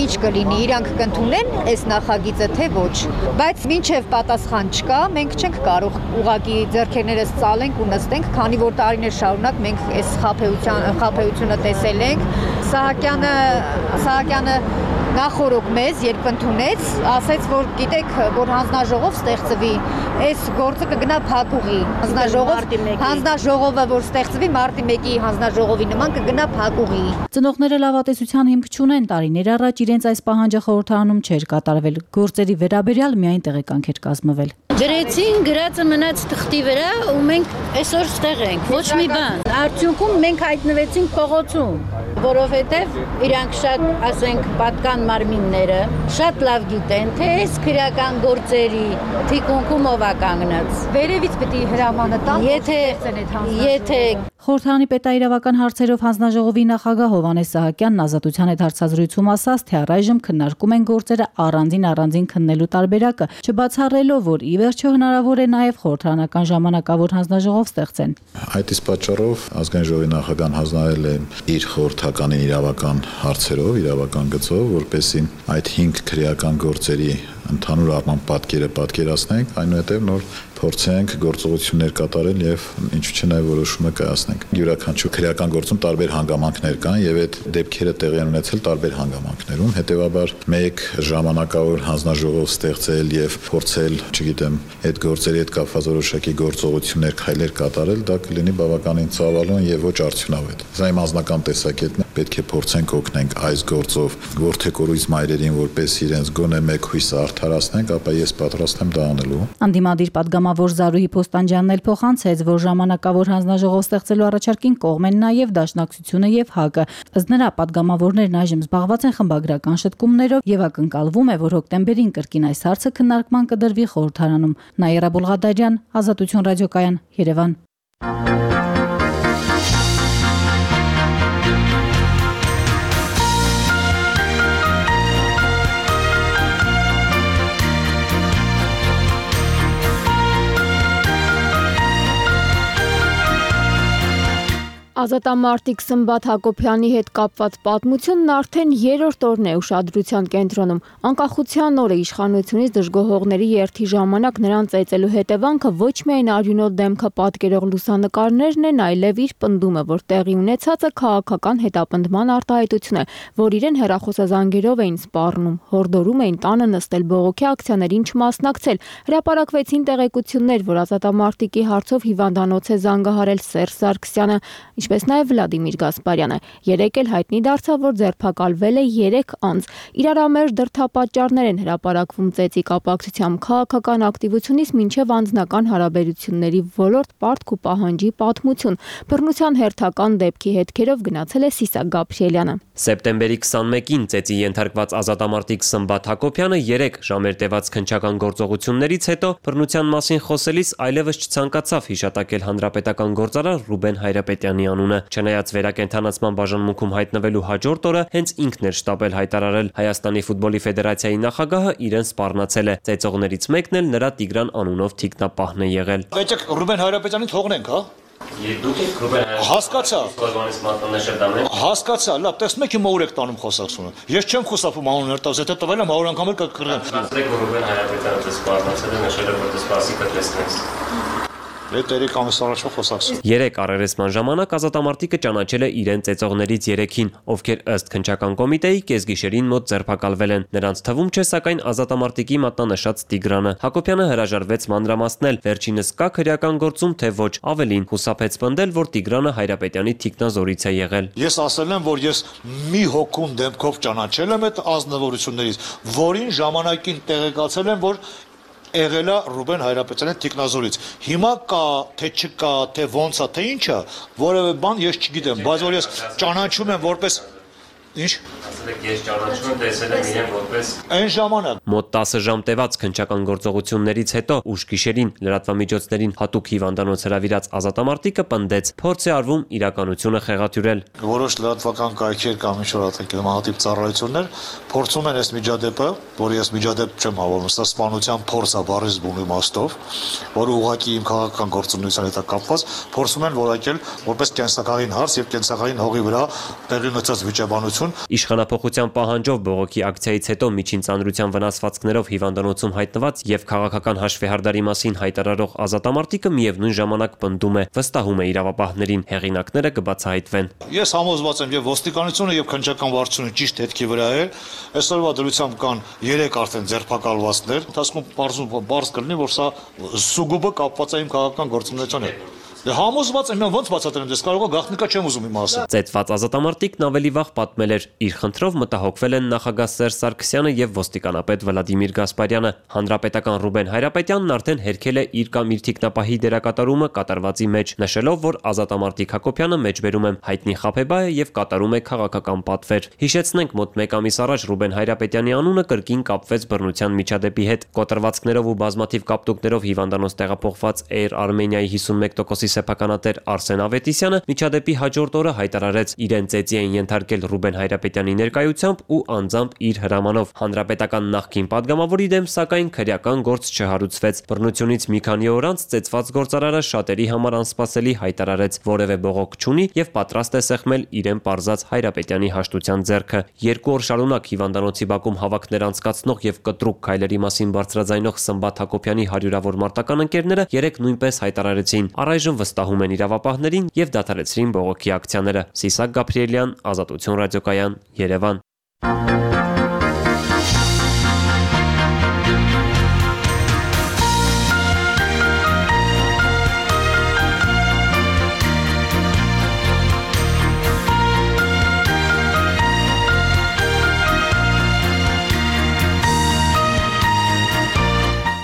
ինչ կլինի, իրանք կընդունեն այս նախագիծը թե ոչ, բայց մինչև պատասխան չկա, մենք չենք կարող ուղղակի ձեռքերներս ծալենք ու նստենք, քանի որ տարիներ շարունակ մենք այս խաբեության խաբեությունը տեսել ենք։ Սահակյանը Սահակյանը նախորոք մեզ երբ ընդունեց, ասաց, որ գիտեք, որ հանձնաժողով ստեղծվի, այս գործը կգնա փակուղի։ Հանձնաժողով հանձնաժողովը որ ստեղծվի մարտի մեկի հանձնաժողովի նման կգնա փակուղի։
Ծնողները լավատեսության հիմք չունեն, տարիներ առաջ իրենց այս պահանջը խորհրդարանում չէր կատարվել, գործերի վերաբերյալ միայն տեղեկանք էր կազմվել։
Գրեցին, գրածը մնաց թղթի վրա ու մենք այսօր ստեղ ենք, ոչ մի բան։ Արդյունքում մենք հայտնվեցինք փողոցում, որովհետև իրանք շատ, ասենք, պատկան մարմինները շատ լավ գիտեն, թե այս քրեական գործերի թիկունքում ով է կանգնած։ Վերևից պետք է հրամանը տան, եթե եթե
Խորհրդարանի պետաիրավական հարցերով հանձնաժողովի նախագահ Հովհաննես Սահակյանն Ազատության հետ հարցազրույցում ասաց, թե առայժմ քննարկում են գործերը առանձին առանձին քննելու տարբերակը, չբացառելով, որ ի վերջո հնարավոր է նաև խորհրդարանական ժամանակավոր հանձնաժողով ստեղծեն։
Այդ իսկ պատճառով ազգային ժողովի նախագահան հանձնարարել է իր խորհրդականին իրավական հարցերով, իրավական գծով, որպեսզի այդ հինգ քրեական գործերի ընդհանուր առմամբ պատկերը պատկերացնենք, այնուհետև նոր փորձենք գործողություններ կատարել եւ ինչու՞ չէ նաեւ որոշումը կայացնենք։ Յուրաքանչյուր քրեական գործում տարբեր հանգամանքներ կան եւ այդ դեպքերը տեղի են ունեցել տարբեր հանգամանքներում, հետեւաբար մեկ ժամանակավոր հանձնաժողով ստեղծել եւ փորձել, չգիտեմ, այդ գործերի հետ կապված որոշակի գործողություններ, քայլեր կատարել, դա կլինի բավականին ցավալուն եւ ոչ արդյունավետ։ Սա իմ անձնական տեսակետն է, պետք է փորձենք օգնենք այս գործով որդեկորույս մայրերին, որպես իրենց գոնե մեկ հույսը արդարացնենք, ապա ես պատրաստ եմ դա անելու։
Անդիմադիր պատգամավոր Զարուհի Փոստանջյանն էլ փոխանցեց, որ ժամանակավոր հանձնաժողով ստեղծելու առաջարկին կողմ են նաև Դաշնակցությունը եւ ՀԱԿ-ը։ Ըստ նրա, պատգամավորներն այժմ զբաղված են խմբագրական շտկումներով եւ ակնկալվում է, որ հոկտեմբերին կրկին այս հարցը քննարկման կդրվի խորհրդարանում։ Նաիրա Բուլղադարյան, Ազատություն ռադիոկայան, Երևան։
Ազատամարտիկ Սմբատ Հակոբյանի հետ կապված պատմությունն արդեն երրորդ օրն է ուշադրության կենտրոնում։ Անկախության օրը իշխանությունից դժգոհողների երթի ժամանակ նրան ծեծելու հետևանքը ոչ միայն արյունոտ դեմքը պատկերող լուսանկարներն են, այլև իր պնդումը, որ տեղի ունեցածը քաղաքական հետապնդման արտահայտություն է, որ իրեն հեռախոսազանգերով էին սպառնում, հորդորում էին տանը նստել բողոքի ակցիաներին չմասնակցել։ Հրապարակվեցին տեղեկություններ, որ ազատամարտիկի հարցով հիվանդանոց է զանգահարել Սերժ Սարգսյանը, ինչպես նաև Վլադիմիր Գասպարյանը։ Երեկ էլ հայտնի դարձավ, որ ձերբակալվել է երեք անձ։ Իրարամերժ դրդապատճառներ են հրապարակվում ծեծի կապակցությամբ քաղաքական ակտիվությունից մինչև անձնական հարաբերությունների ոլորտ պարտք ու պահանջի պատմություն։ Բռնության հերթական դեպքի հետքերով գնացել է Սիսակ Գաբրիելյանը։
Սեպտեմբերի քսանմեկին ծեծի ենթարկված ազատամարտիկ Սմբատ Հակոբյանը երեք ժամեր տևած քննչական գործողություններից հետո բռնության մասին խոսելիս այլևս չցանկացավ հիշատակել հանրապետական գործարար Ռուբեն Հայրապետյանի անունը։ Չնայած վերակենդանացման բաժանմունքում հայտնվելու հաջորդ օրը հենց ինքն էր շտապել հայտարարել Հայաստանի ֆուտբոլի ֆեդերացիայի նախագահը իրեն սպառնացել է։ Ծեծողներից մեկն էլ նրա Տիգրան անունով թիկնապահն է եղել։
Եկեք Ռուբեն Հայրապետյանին թողնենք, հա։
Դուք եք Ռուբեն Հայրապետյանը։
Հասկացա։
Ֆուտբոլից մատնանշել դամեն։
Հասկացա, լավ, տեսնում եք ում եք տանում խոսակցությունը։ Ես չեմ խուսափում անուններ տալիս, եթե տվել եմ հարյուր անգամ էլ կկրեմ։
Ասեք որ Ռուբեն Հայրապետյանը դες սպառնացել է, նշել է որ դες սպասի կտեսնես։
Երեք ամիս առաջվա խոսակցություն։
Երեք առերեսման ժամանակ ազատամարտիկը ճանաչել է իրեն ծեծողներից երեքին, ովքեր ըստ քննչական կոմիտեի կեսգիշերին մոտ ձերբակալվել են։ Նրանց թվում չէ սակայն ազատամարտիկի մատնանշած Տիգրանը։ Հակոբյանը հրաժարվեց մանրամասնել, վերջինս կա քրեական գործում, թե ոչ, ավելին խուսափեց պնդել, որ Տիգրանը Հայրապետյանի թիկնազորից է եղել։
Ես ասել եմ, որ ես մի հոգուն դեմքով ճանաչել եմ այդ ազնվորություններից, որին ժամանակին տեղեկացել եմ, որ եղել է Ռուբեն Հայրապետյանի թիկնազորից։ Հիմա կա, թե չկա, թե ոնց է, թե ինչ է, որևէ բան ես չգիտեմ, բայց որ ես ճանաչում եմ որպես Ինչ։
Ասեք ես ճանաչում եմ, տեսել եմ իրեն որպես
այն ժամանակ։
Մոտ տասը ժամ տևած քննչական գործողություններից հետո ուշ գիշերին լրատվամիջոցներին հատուկ հիվանդանոց հրավիրած ազատամարտիկը պնդեց, փորձ է արվում իրականությունը խեղաթյուրել։
Որոշ լրատվական կայքեր կամ ինչ-որ ատեկլմանատիպ ծառայություններ փորձում են այս միջադեպը, որ ես միջադեպ չեմ հավանում, սա սպանության փորձ է բառից բուն իմաստով, որ ուղղակի իմ քաղաքական գործունեության հետ կապված, փորձում են որակել որպես կենսակարգին հարց եւ կենսակարգին հողի վրա տեղի ունեցած վիճաբանություն։
Իշխանապողության պահանջով բողոքի ակցիայից հետո միջին ծանրության վնասվածքներով հիվանդանոցում հայտնված եւ քաղաքական հաշվեհարդարի մասին հայտարարող ազատամարտիկը միևնույն ժամանակ պնդում է, վստահում է իրավապահներին, հեղինակները կբացահայտվեն։
Ես համոզված եմ եւ ոստիկանությունը եւ քննչական վարչությունը ճիշտ հետքի վրա է։ Այսօրվա դրությամբ կան երեք արդեն ձերբակալվածներ, ընթացքում բարձում բարձ կլինի, որ սա սուգուբը կապված է իմ քաղաքական գործունեության հետ։ Դե համոզված եմ, ոնց բացատրեմ, դες կարող է գաղտնիքա չեմ ուզում իմ ասել։
Ծեծված ազատամարտիկն ավելի վաղ պատմել էր, իր խնդրով մտահոգվել են նախագահ Սերժ Սարգսյանը եւ ոստիկանապետ Վլադիմիր Գասպարյանը։ Հանրապետական Ռուբեն Հայրապետյանն արդեն հերքել է իր կամ իր թիկնապահի դերակատարումը կատարվածի մեջ, նշելով, որ ազատամարտիկ Հակոբյանը մեջբերում է հայտնի խաբեբա է եւ կատարում է քաղաքական պատվեր։ Հիշեցնենք, մոտ մեկ ամիս առաջ Ռուբեն Հայրապետյանի անունը կրկին կապվեց բռնության միջադեպի հետ։ Կոտրվածքներով ու բազմաթիվ կապտուկներով հիվանդանոց տեղափոխված Air Armenia-ի հիսունմեկ տոկոսի սեփականատեր Արսեն Ավետիսյանը միջադեպի հաջորդ օրը հայտարարեց իրեն ծեծի են ենթարկել Ռուբեն Հայրապետյանի ներկայությամբ ու անձամբ իր հրամանով։ Հանրապետական նախկին падգամավորի դեմ սակայն քրեական գործ չհարուցվեց։ Բռնությունից մի քանի օր անց ծեծված գործարարը շատերի համար անսպասելի հայտարարեց որևէ բողոք չունի եւ պատրաստ է սեղմել իրեն պարզած Հայրապետյանի հաշտության ձեռքը։ Երկու օր շարունակ հիվանդանոցի բակում հավաքներ անցկացնող եւ կտրուկ քայլերի մասին բարձրաձայնող Սմբատ Հակոբյանի հարյուրավոր մարտական ընկերները երեք նույնպես հայտարարեցին առայժմ վստահում են իրավապահներին եւ դադարեցրին բողոքի ակցիաները։ Սիսակ Գաբրիելյան, Ազատություն ռադիոկայան, Երևան։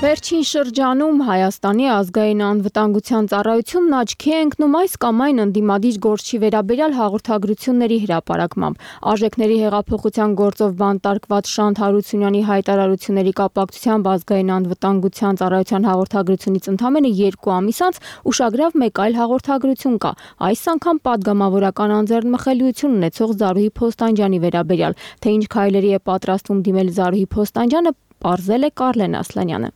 Վերջին շրջանում Հայաստանի ազգային անվտանգության ծառայությունն աչքի է ընկնում այս կամ այն ընդդիմադիր գործի վերաբերյալ հաղորդագրությունների հրապարակմամբ։ Արժեքների հեղափոխության գործով բանտարկված Շանթ Հարությունյանի հայտարարությունների կապակցությամբ ազգային անվտանգության ծառայության հաղորդագրությունից ընդամենը երկու ամիս անց ուշագրավ մեկ այլ հաղորդագրություն կա։ Այս անգամ падգամավորական անձեռնմխելիություն ունեցող Զարուհի Փոստանջյանի վերաբերյալ, թե ինչ քայլերի է պատրաստվում դիմել Զարուհի Փոստանջյանը, պարզել է Կարլեն Ասլանյանը։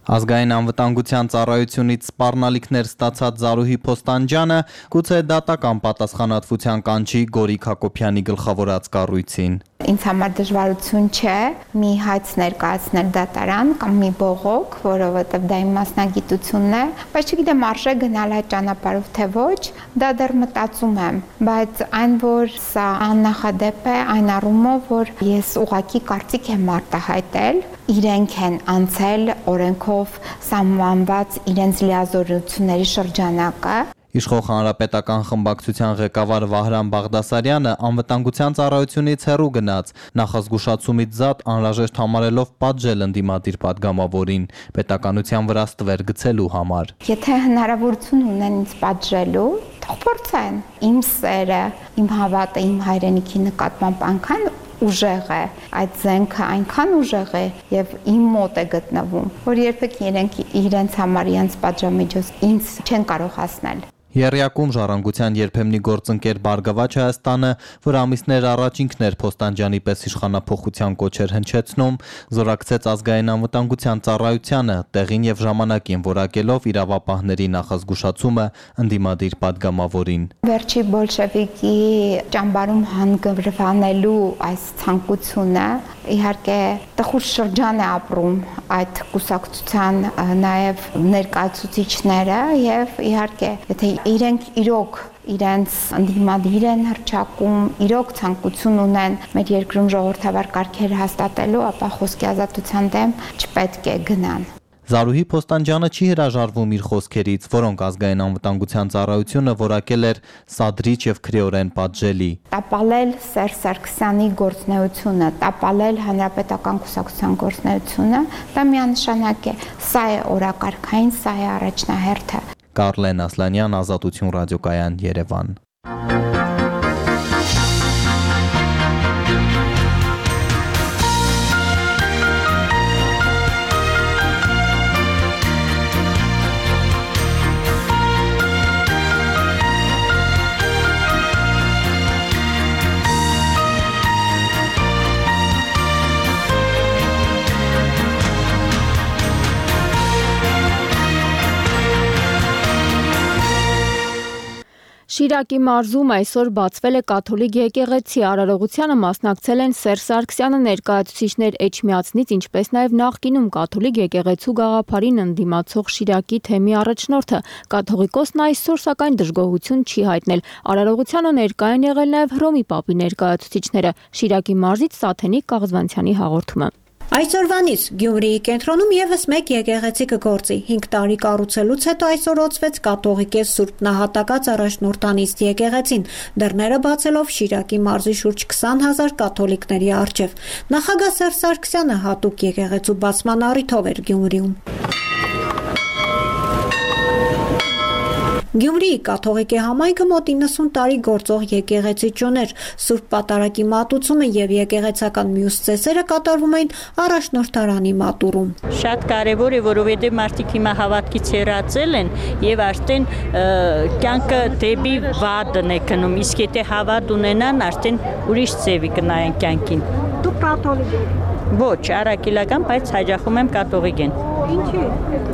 Ազգային անվտանգության ծառայությունից սպառնալիքներ ստացած Զարուհի Փոստանջյանը գուցե դատական պատասխանատվության կանչի Գորիկ Հակոբյանի գլխավորած կառույցին։
Ինձ համար դժվարություն չէ մի հայց ներկայացնել դատարան կամ մի բողոք, որովհետև դա իմ մասնագիտությունն է, բայց չգիտեմ արժե գնալ այդ ճանապարհով թե ոչ, դա դեռ մտածում եմ, բայց այն որ սա աննախադեպ է այն առումով, որ ես ուղղակի կարծիք եմ արտահայտել, իրենք են անցել օրենքով սահմանված իրենց լիազորությունների շրջանակը։
Իշխող հանրապետական խմբակցության ղեկավար Վահրամ Բաղդասարյանը անվտանգության ծառայությունից հեռու գնաց, նախազգուշացումից զատ անհրաժեշտ համարելով պատժել ընդդիմադիր падգամավորին պետականության վրա ստվեր գցելու համար։
Եթե հնարավորություն ունեն ինձ պատժելու, թող փորձեն։ Իմ սերը, իմ հավատը իմ հայրենիքի նկատմամբ այնքան ուժեղ է, այդ զենքը այնքան ուժեղ է եւ իմ մոտ է գտնվում, որ երբեք իրենք իրենց համար իրենց պատժամիջոց ինձ չեն կարող հասնել։
Եռյակում ժառանգության երբեմնի գործընկեր Բարգավաճ Հայաստանը, որ ամիսներ առաջ ինքն էր Փոստանջյանի պես իշխանափոխության կոչեր հնչեցնում, զորակցեց ազգային անվտանգության ծառայությանը, տեղին եւ ժամանակին որակելով իրավապահների նախազգուշացումը ընդդիմադիր падգամավորին։
Վերջի բոլշևիկի ճամբարում հանգրվանելու այս ցանկությունը իհարկե տխուր շրջան է ապրում այդ կուսակցության նաև ներկայացուցիչները եւ իհարկե եթե իրենք իրոք իրենց ընդդիմադիր են հռչակում, իրոք ցանկություն ունեն մեր երկրում ժողովրդավար կարգեր հաստատելու, ապա խոսքի ազատության դեմ չպետք է գնան։
Զարուհի Փոստանջյանը չի հրաժարվում իր խոսքերից, որոնք ազգային անվտանգության ծառայությունը որակել էր սադրիչ եւ քրեորեն պատժելի։
Տապալել Սերժ Սարգսյանի գործունեությունը, տապալել հանրապետական կուսակցության գործունեությունը, դա միանշանակ է, սա է օրակարգային, սա է առաջնահերթը։
Կարլեն Ասլանյան, Ազատություն ռադիոկայան, Երևան։
Շիրակի մարզում այսօր բացվել է կաթոլիկ եկեղեցի, արարողությանը մասնակցել են Սերժ Սարգսյանը ներկայացուցիչներ Էջմիածնից, ինչպես նաև նախկինում կաթոլիկ եկեղեցու գաղափարին ընդդիմացող Շիրակի թեմի առաջնորդը։ Կաթողիկոսն այսօր սակայն դժգոհություն չի հայտնել։ Արարողությանը ներկա են եղել նաև Հռոմի Պապի ներկայացուցիչները։ Շիրակի մարզից Սաթենիկ Կաղզվանցյանի հաղորդումը։
Այսօրվանից Գյումրիի կենտրոնում եւս մեկ եկեղեցի կգործի։ հինգ տարի կառուցելուց հետո այսօր օծվեց կաթողիկե Սուրբ Նահատակած առաջնորդանիստ եկեղեցին, դռները բացելով Շիրակի մարզի շուրջ քսան հազար կաթոլիկների առջև։ Նախագահ Սերժ Սարգսյանը հատուկ եկեղեցու բացման առիթով էր Գյումրիում։ Գյումրիի կաթողիկե համայնքը մոտ իննսուն տարի գործող եկեղեցի ճյուներ, Սուրբ Պատարագի մատուցումը եւ եկեղեցական մյուս ծեսերը կատարվում էին առաջնորդարանի մատուրում։
Շատ կարևոր է, որովհետեւ մարդիկ հիմա հավատքից հեռացել են եւ արդեն կյանքը դեպի վատն է գնում, իսկ եթե հավատ ունենան, արդեն ուրիշ ձևի կնայեն կյանքին։
Դուք կաթոլիկ եք։
Ոչ, առաքելական, բայց հաջախում եմ կաթողիկեն։
Ինչի՞։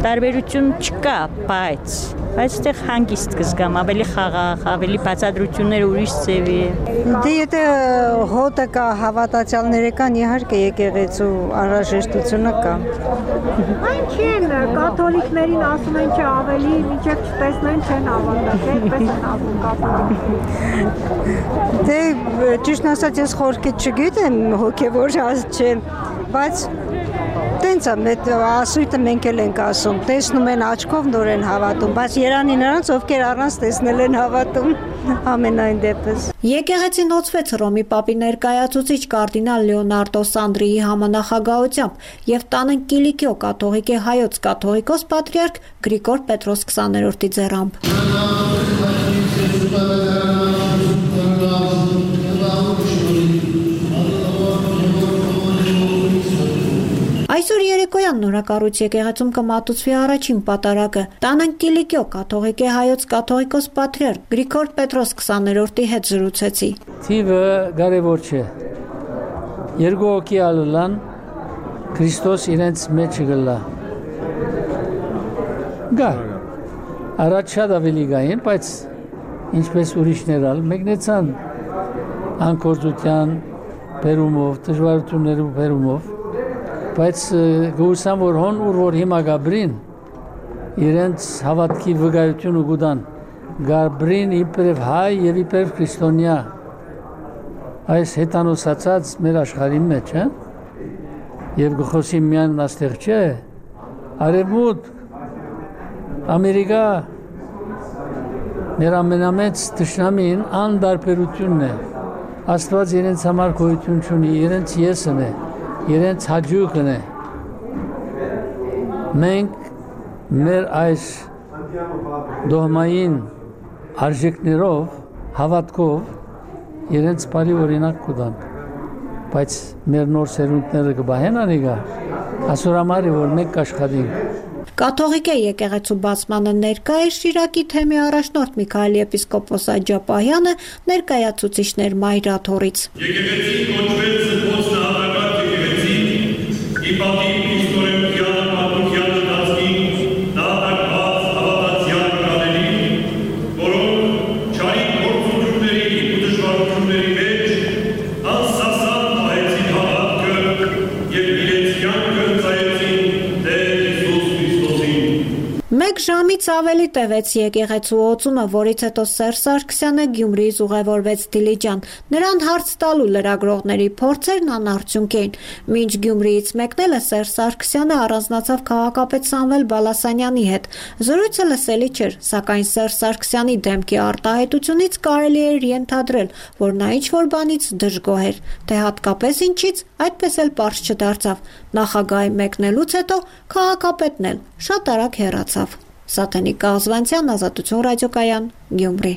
Տարբերություն չկա, բայց բայց այդտեղ հանգիստ կզգամ, ավելի խաղաղ, ավելի բացատրությունները ուրիշ ձևի է։
Դե եթե հոտը կա, հավատացյալները կան, իհարկե եկեղեցու անհրաժեշտությունը կա։
Այն չեն, կաթոլիկներին ասում են չէ ավելի, մինչև չտեսնեն չեն հավատալ, այդպես են ասում կաթոլիկ։
Դե ճիշտ ասած ես խորքից չգիտեմ, հոգևոր չեմ, բայց տենց է, ասույթը մենք էլ ենք ասում, տեսնում են աչքով նոր են հավատում, բայց երանի նրանց, ովքեր առանց տեսնել են հավատում, ամենայն դեպս։
Եկեղեցին հոծվեց Հռոմի Պապի ներկայացուցիչ կարդինալ Լեոնարդո Սանդրիի համանախագահությամբ եւ տանը Կիլիկիո կաթողիկե հայոց կաթողիկոս պատրիարք Գրիգոր Պետրոս քսաներորդի ձեռամբ։ Այսօր երեկոյան նորակառույց եկեղեցում կմատուցվի առաջին պատարագը։ Տանն Կիլիկիո կաթողիկե հայոց կաթողիկոս պատրիարք Գրիգոր Պետրոս քսաներորդի հետ զրուցեցի։
Թիվը կարևոր չէ։ Երկու հոգի ալան Քրիստոս իրենց մեջ գլա։ Գար։ Առաջ շատ ավելի գային, բայց ինչպես ուրիշներ ալ մեկնեցան անկործության բերումով, դժվարություններով բերումով, բայց գուսամ որ հոն ուր որ հիմա գաբրին իրենց հավատքի վկայությունը գուտան գաբրին իբրև հայ եւ իբրև քրիստոնյա այս հետանոսացած մեր աշխարհի մեջ, հա? Եվ գխոսի միան աստեղ չէ, արևմուտք, Ամերիկա, մեր ամենամեծ թշնամին անդարբերությունն է, Աստված իրենց համար գոյություն չունի, իրենց եսն է, իրենց հաջուկն է, մենք մեր այս դողմային արժեքներով, հավատքով իրենց բարի օրինակ կուտան, բայց մեր նոր սերունդները կբահեն անիգա, ասոր համար է, որ մենք կաշխատենք։
Կաթողիկե եկեղեցու բացմանը ներկա է Շիրակի թեմի առաջնորդ Միքայել եպիսկոպոս Աջապահյանը ներկայացուցիչներ մայրաթորից։
Եկեղեցին կոչվել զբոց նահատական եկեղեցի, ի պատիվ իստորիության պատմության ընթացքին նահատակված հավատացյալ կաների, որոնք չարի գործունեությունների ու դժվարությունների մեջ անսասան պահեցին հավատքը և իրենց կյանքը ծայեցին Տեր
Մեկ ժամից ավելի տևեց եկեղեցու օծումը, որից հետո Սերժ Սարգսյանը Գյումրիից ուղևորվեց Դիլիջան։ Նրան հարց տալու լրագրողների փորձերն անարդյունք էին։ Մինչ Գյումրիից մեկնելը Սերժ Սարգսյանը առանձնացավ քաղաքապետ Սամվել Բալասանյանի հետ։ Զրույցը լսելի չէր, սակայն Սերժ Սարգսյանի դեմքի արտահայտությունից կարելի էր ենթադրել, որ նա ինչ-որ բանից դժգոհ էր, թե հատկապես ինչից, այդպես էլ պարզ չդարձավ։ Նախագահի մեկնելուց հետո քաղաքապետն էլ շատ արագ հեռացավ։ Սաթենիկ Կազվանցյան, Ազատություն ռադիոկայան, Գյումրի։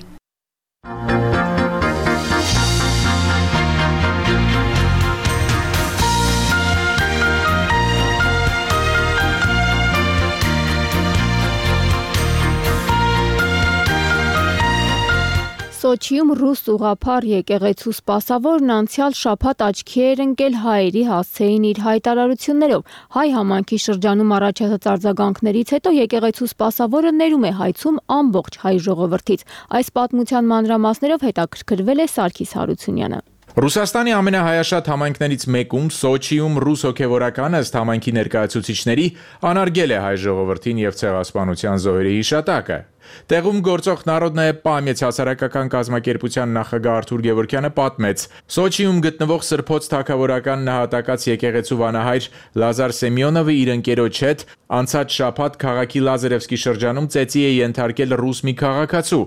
Սոչիում ռուս ուղղափառ եկեղեցու սպասավորն անցյալ շաբաթ աչքի էր ընկել հայերի հասցեին իր հայտարարություններով։ Հայ համայնքի շրջանում առաջացած արձագանքներից հետո եկեղեցու սպասավորը ներում է հայցում ամբողջ հայ ժողովրդից։ Այս պատմության մանրամասներով հետաքրքրվել է Սարգիս Հարությունյանը։
Ռուսաստանի ամենահայաշատ համայնքներից մեկում Սոչիում ռուս հոգևորականը ըստ համայնքի ներկայացուցիչների անարգել է հայ ժողովրդին եւ ցեղասպանության զոհերի հիշատակը։ Տեղում գործող Народная պամյաց հասարակական կազմակերպության նախագահ Արթուր Գևորգյանը պատմեց. Սոչիում գտնվող Սրբոց թագավորական նահատակած եկեղեցու վանահայր Լազար Սեմյոնովը իր ընկերոջ հետ անցած շաբաթ քաղաքի Լազարևսկի շրջանում ծեծի է ենթարկել ռուս մի քաղաքացու,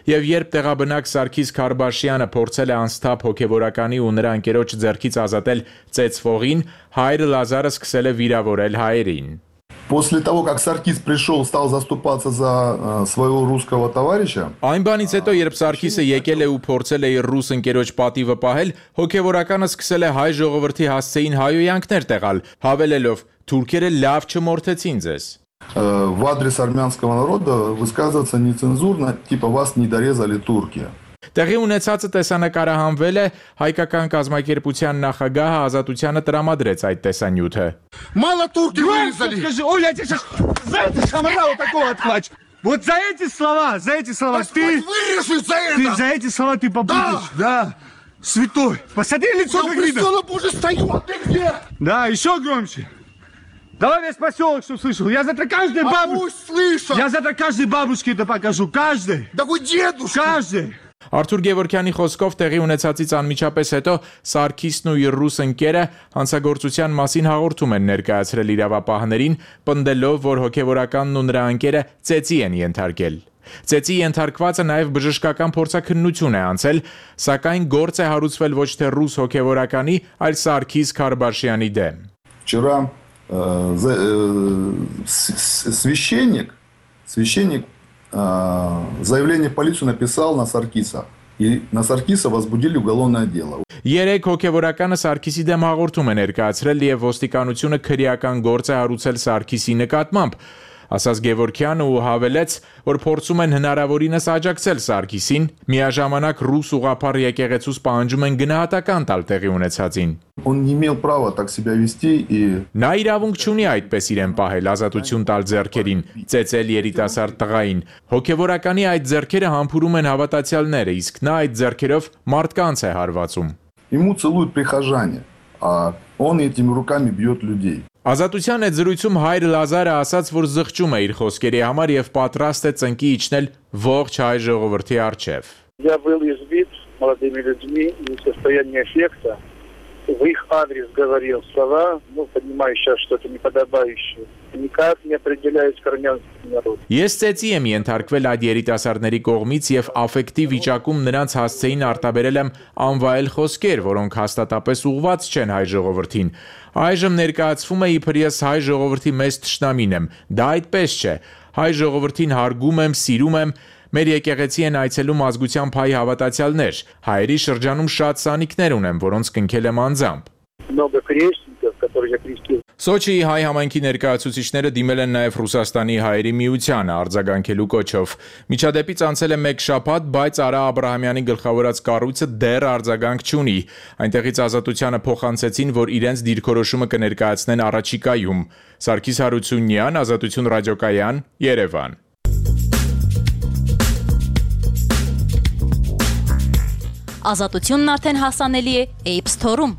եւ երբ տեղաբնակ Սարգիս Քարբաշյանը փորձել է անսթափ հոգևորականի ու նրա ընկերոջ ձեռքից ազատել ծեծվողին, հայրը Լազարը սկսել է վիրավորել հայերին։
После того, как Саркис пришел, стал заступаться за своего русского товарища.
Այն բանից հետո, երբ Սարգիսը եկել է ու փորձել է իր ռուս ընկերոջ պատիվը պահել, հոգևորականը սկսել է հայ ժողովրդի հասցեին հայոյանքներ տեղալ, հավելելով. «Թուրքերը լավ չմորթեցին ձեզ»։
В адрес армянского народа высказываться нецензурно, типа вас не дорезали турки.
Տեղի ունեցածը տեսանկարահանվել է, հայկական կազմակերպության նախագահը Ազատությանը տրամադրեց այդ տեսանյութը։
Мало турки вырезали. Скажи, Оля, я тебе сейчас за это шамара вот такого отплачу. Вот за эти слова, за эти слова ты вырежешь за это. Ты за эти слова ты побудешь. Да. Святой. Посмотри лицо как видно. Я уже стою, а ты где? Да, еще громче. Давай весь поселок, что слышал. Я завтра каждой бабушке. Я завтра каждой бабушке это покажу. Каждой. Да вы дедушка. Каждой.
Արթուր Գևորգյանի խոսքով տեղի ունեցածից անմիջապես հետո Սարգիսն ու իր ռուս ընկերը հանցագործության մասին հաղորդում են ներկայացրել իրավապահներին, պնդելով, որ հոգևորականն ու նրա ընկերը ծեծի են ենթարկել։ Ծեծի ենթարկվածը նաև բժշկական փորձաքննություն է անցել, սակայն գործ է հարուցվել ոչ թե ռուս հոգևորականի, այլ Սարգիս Քարբաշյանի դեմ։
Вчера священник, священник заявление в полицию написал на Саркиса. И на Саркиса возбудили уголовное дело.
Երեք հոգևորականը Սարգիսի դեմ հաղորդում է ներկայացրել եւ ոստիկանությունը քրեական գործ է հարուցել Սարգիսի նկատմամբ։ ասաց Գևորգյանը ու հավելեց, որ փորձում են հնարավորինս աջակցել Սարգիսին, միաժամանակ ռուս ուղղափառ եկեղեցուց պահանջում են գնահատական տալ տեղի ունեցածին։
Он не имел права так себя вести и
Նա իրավունք չունի այդպես իրեն պահել, ազատություն տալ ձեռքերին, ծեծել երիտասարդ տղային։ Հոգևորականի այդ ձեռքերը համբուրում են հավատացյալները, իսկ նա այդ ձեռքերով մարդկանց է հարվածում։
Ему целуют прихожане, а он этими руками бьет людей.
Ազատության այդ զրույցում հայր Լազարը ասաց, որ զղջում է իր խոսքերի համար եւ պատրաստ է ծնկի իջնել ողջ հայ ժողովրդի առջև։
Я был избит молодыми людьми не в состоянии аффекта. В их адрес говорил слова, ну, понимаю сейчас, что это неподобающее. Никак не определяюсь к армянскому народу.
Ես ծեծի եմ ենթարկվել այդ երիտասարդների կողմից եւ աֆեկտիվ վիճակում նրանց հասցեին արտաբերել եմ անվայել խոսքեր, որոնք հաստատապես ուղղված չեն հայ ժողովրդին։ Այժմ ներկայացվում է իբր ես հայ ժողովրդի մեծ թշնամին եմ։ Դա այդպես չէ։ Հայ ժողովրդին հարգում եմ, սիրում եմ։ Մեր եկեղեցի են այցելում ազգությամբ հայ հավատացյալներ։ Հայերի շրջանում շատ սանիկներ ունեմ, որոնց կնքել եմ անձամբ։
Много крестников, которые я крестил.
Սոչիի հայ համայնքի ներկայացուցիչները դիմել են նաև Ռուսաստանի հայերի միությանը արձագանքելու կոչով։ Միջադեպից անցել է մեկ շաբաթ, բայց Արա Աբրահամյանի գլխավորած կառույցը դեռ արձագանք չունի։ Այնտեղից Ազատությանը փոխանցեցին, որ իրենց դիրքորոշումը կներկայացնեն առաջիկայում։ Սարգիս Հարությունյան, Ազատություն ռադիոկայան, Երևան։
Ազատությունն արդեն հասանելի է App Store-ում։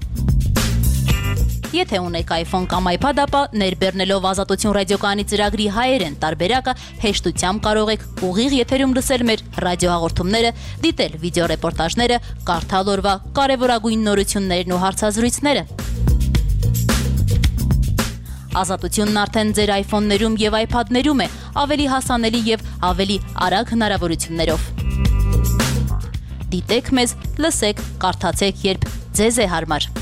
Եթե ունեք iPhone կամ iPad, ապա ներբեռնելով Ազատություն ռադիոկայանի ծրագրի հայերեն տարբերակը հեշտությամբ կարող եք ուղիղ եթերում լսել մեր ռադիոհաղորդումները, դիտել վիդեոռեպորտաժները, կարդալ օրվա կարևորագույն նորություններն ու հարցազրույցները։ Ազատությունն արդեն ձեր iPhone-ներում եւ iPad-ներում է, ավելի հասանելի եւ ավելի արագ հնարավորություններով։ Դիտեք մեզ, լսեք, կարդացեք, երբ ձեզ է հարմար։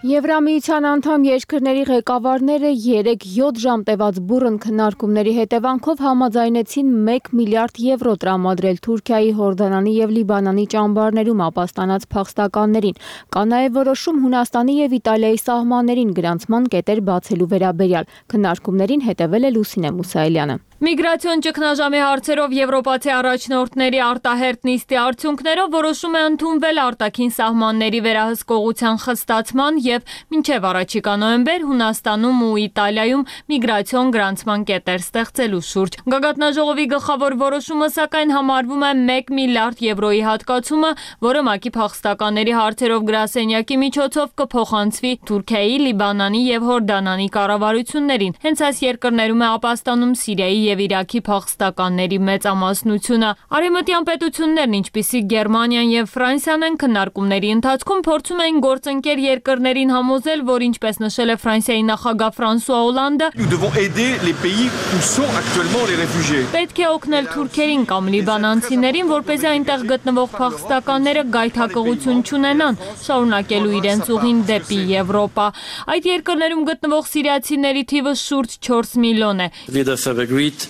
Եվրամիության անդամ երկրների ղեկավարները երեք յոթ ժամ տևած բուռն քննարկումների հետևանքով համաձայնեցին մեկ միլիարդ եվրո տրամադրել Թուրքիայի, Հորդանանի եւ Լիբանանի ճամբարներում ապաստանած փախստականներին։ Կա նաեւ որոշում Հունաստանի եւ Իտալիայի սահմաններին գրանցման կետեր բացելու վերաբերյալ։ Քննարկումներին հետևել է Լուսինե Մուսայելյանը։
Միգրացիոն ճգնաժամի հարցերով եվրոպացի առաջնորդների արտահերտ նիստի արդյունքներով որոշում է ընդունվել արտաքին սահմանների վերահսկողության խստացման եւ մինչեւ առաջիկա նոյեմբեր Հունաստանում ու Իտալիայում միգրացիոն գրանցման կետեր ստեղծելու շուրջ։ Գագաթնաժողովի գլխավոր որոշումը սակայն համարվում է մեկ միլիարդ եվրոյի հատկացումը, որը ՄԱԿ-ի փախստականների հարցերով գրասենյակի միջոցով կփոխանցվի Թուրքիայի, Լիբանանի եւ Հորդանանի կառավարություններին։ Հենց այս երկրներում է ապաստանում Սիրիայի եւ Իրաքի փախստականների մեծամասնությունը։ Արևմտյան պետություններն, ինչպիսիք Գերմանիան եւ Ֆրանսիան, են քննարկումների ընթացքում փորձում էին գործընկեր երկրներին համոզել, որ ինչպես նշել է Ֆրանսիայի նախագահ Ֆրանսուଆ Օլանդը, պետք է օգնել թուրքերին կամ լիբանանցիներին, որպեսզի այնտեղ գտնվող փախստականները գայթակղություն չունենան, շարունակելու իրենց ուղին դեպի Եվրոպա։ Այդ երկրներում գտնվող սիրիացիների թիվը շուրջ չորս միլիոն է։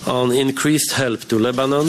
On increased help to Lebanon,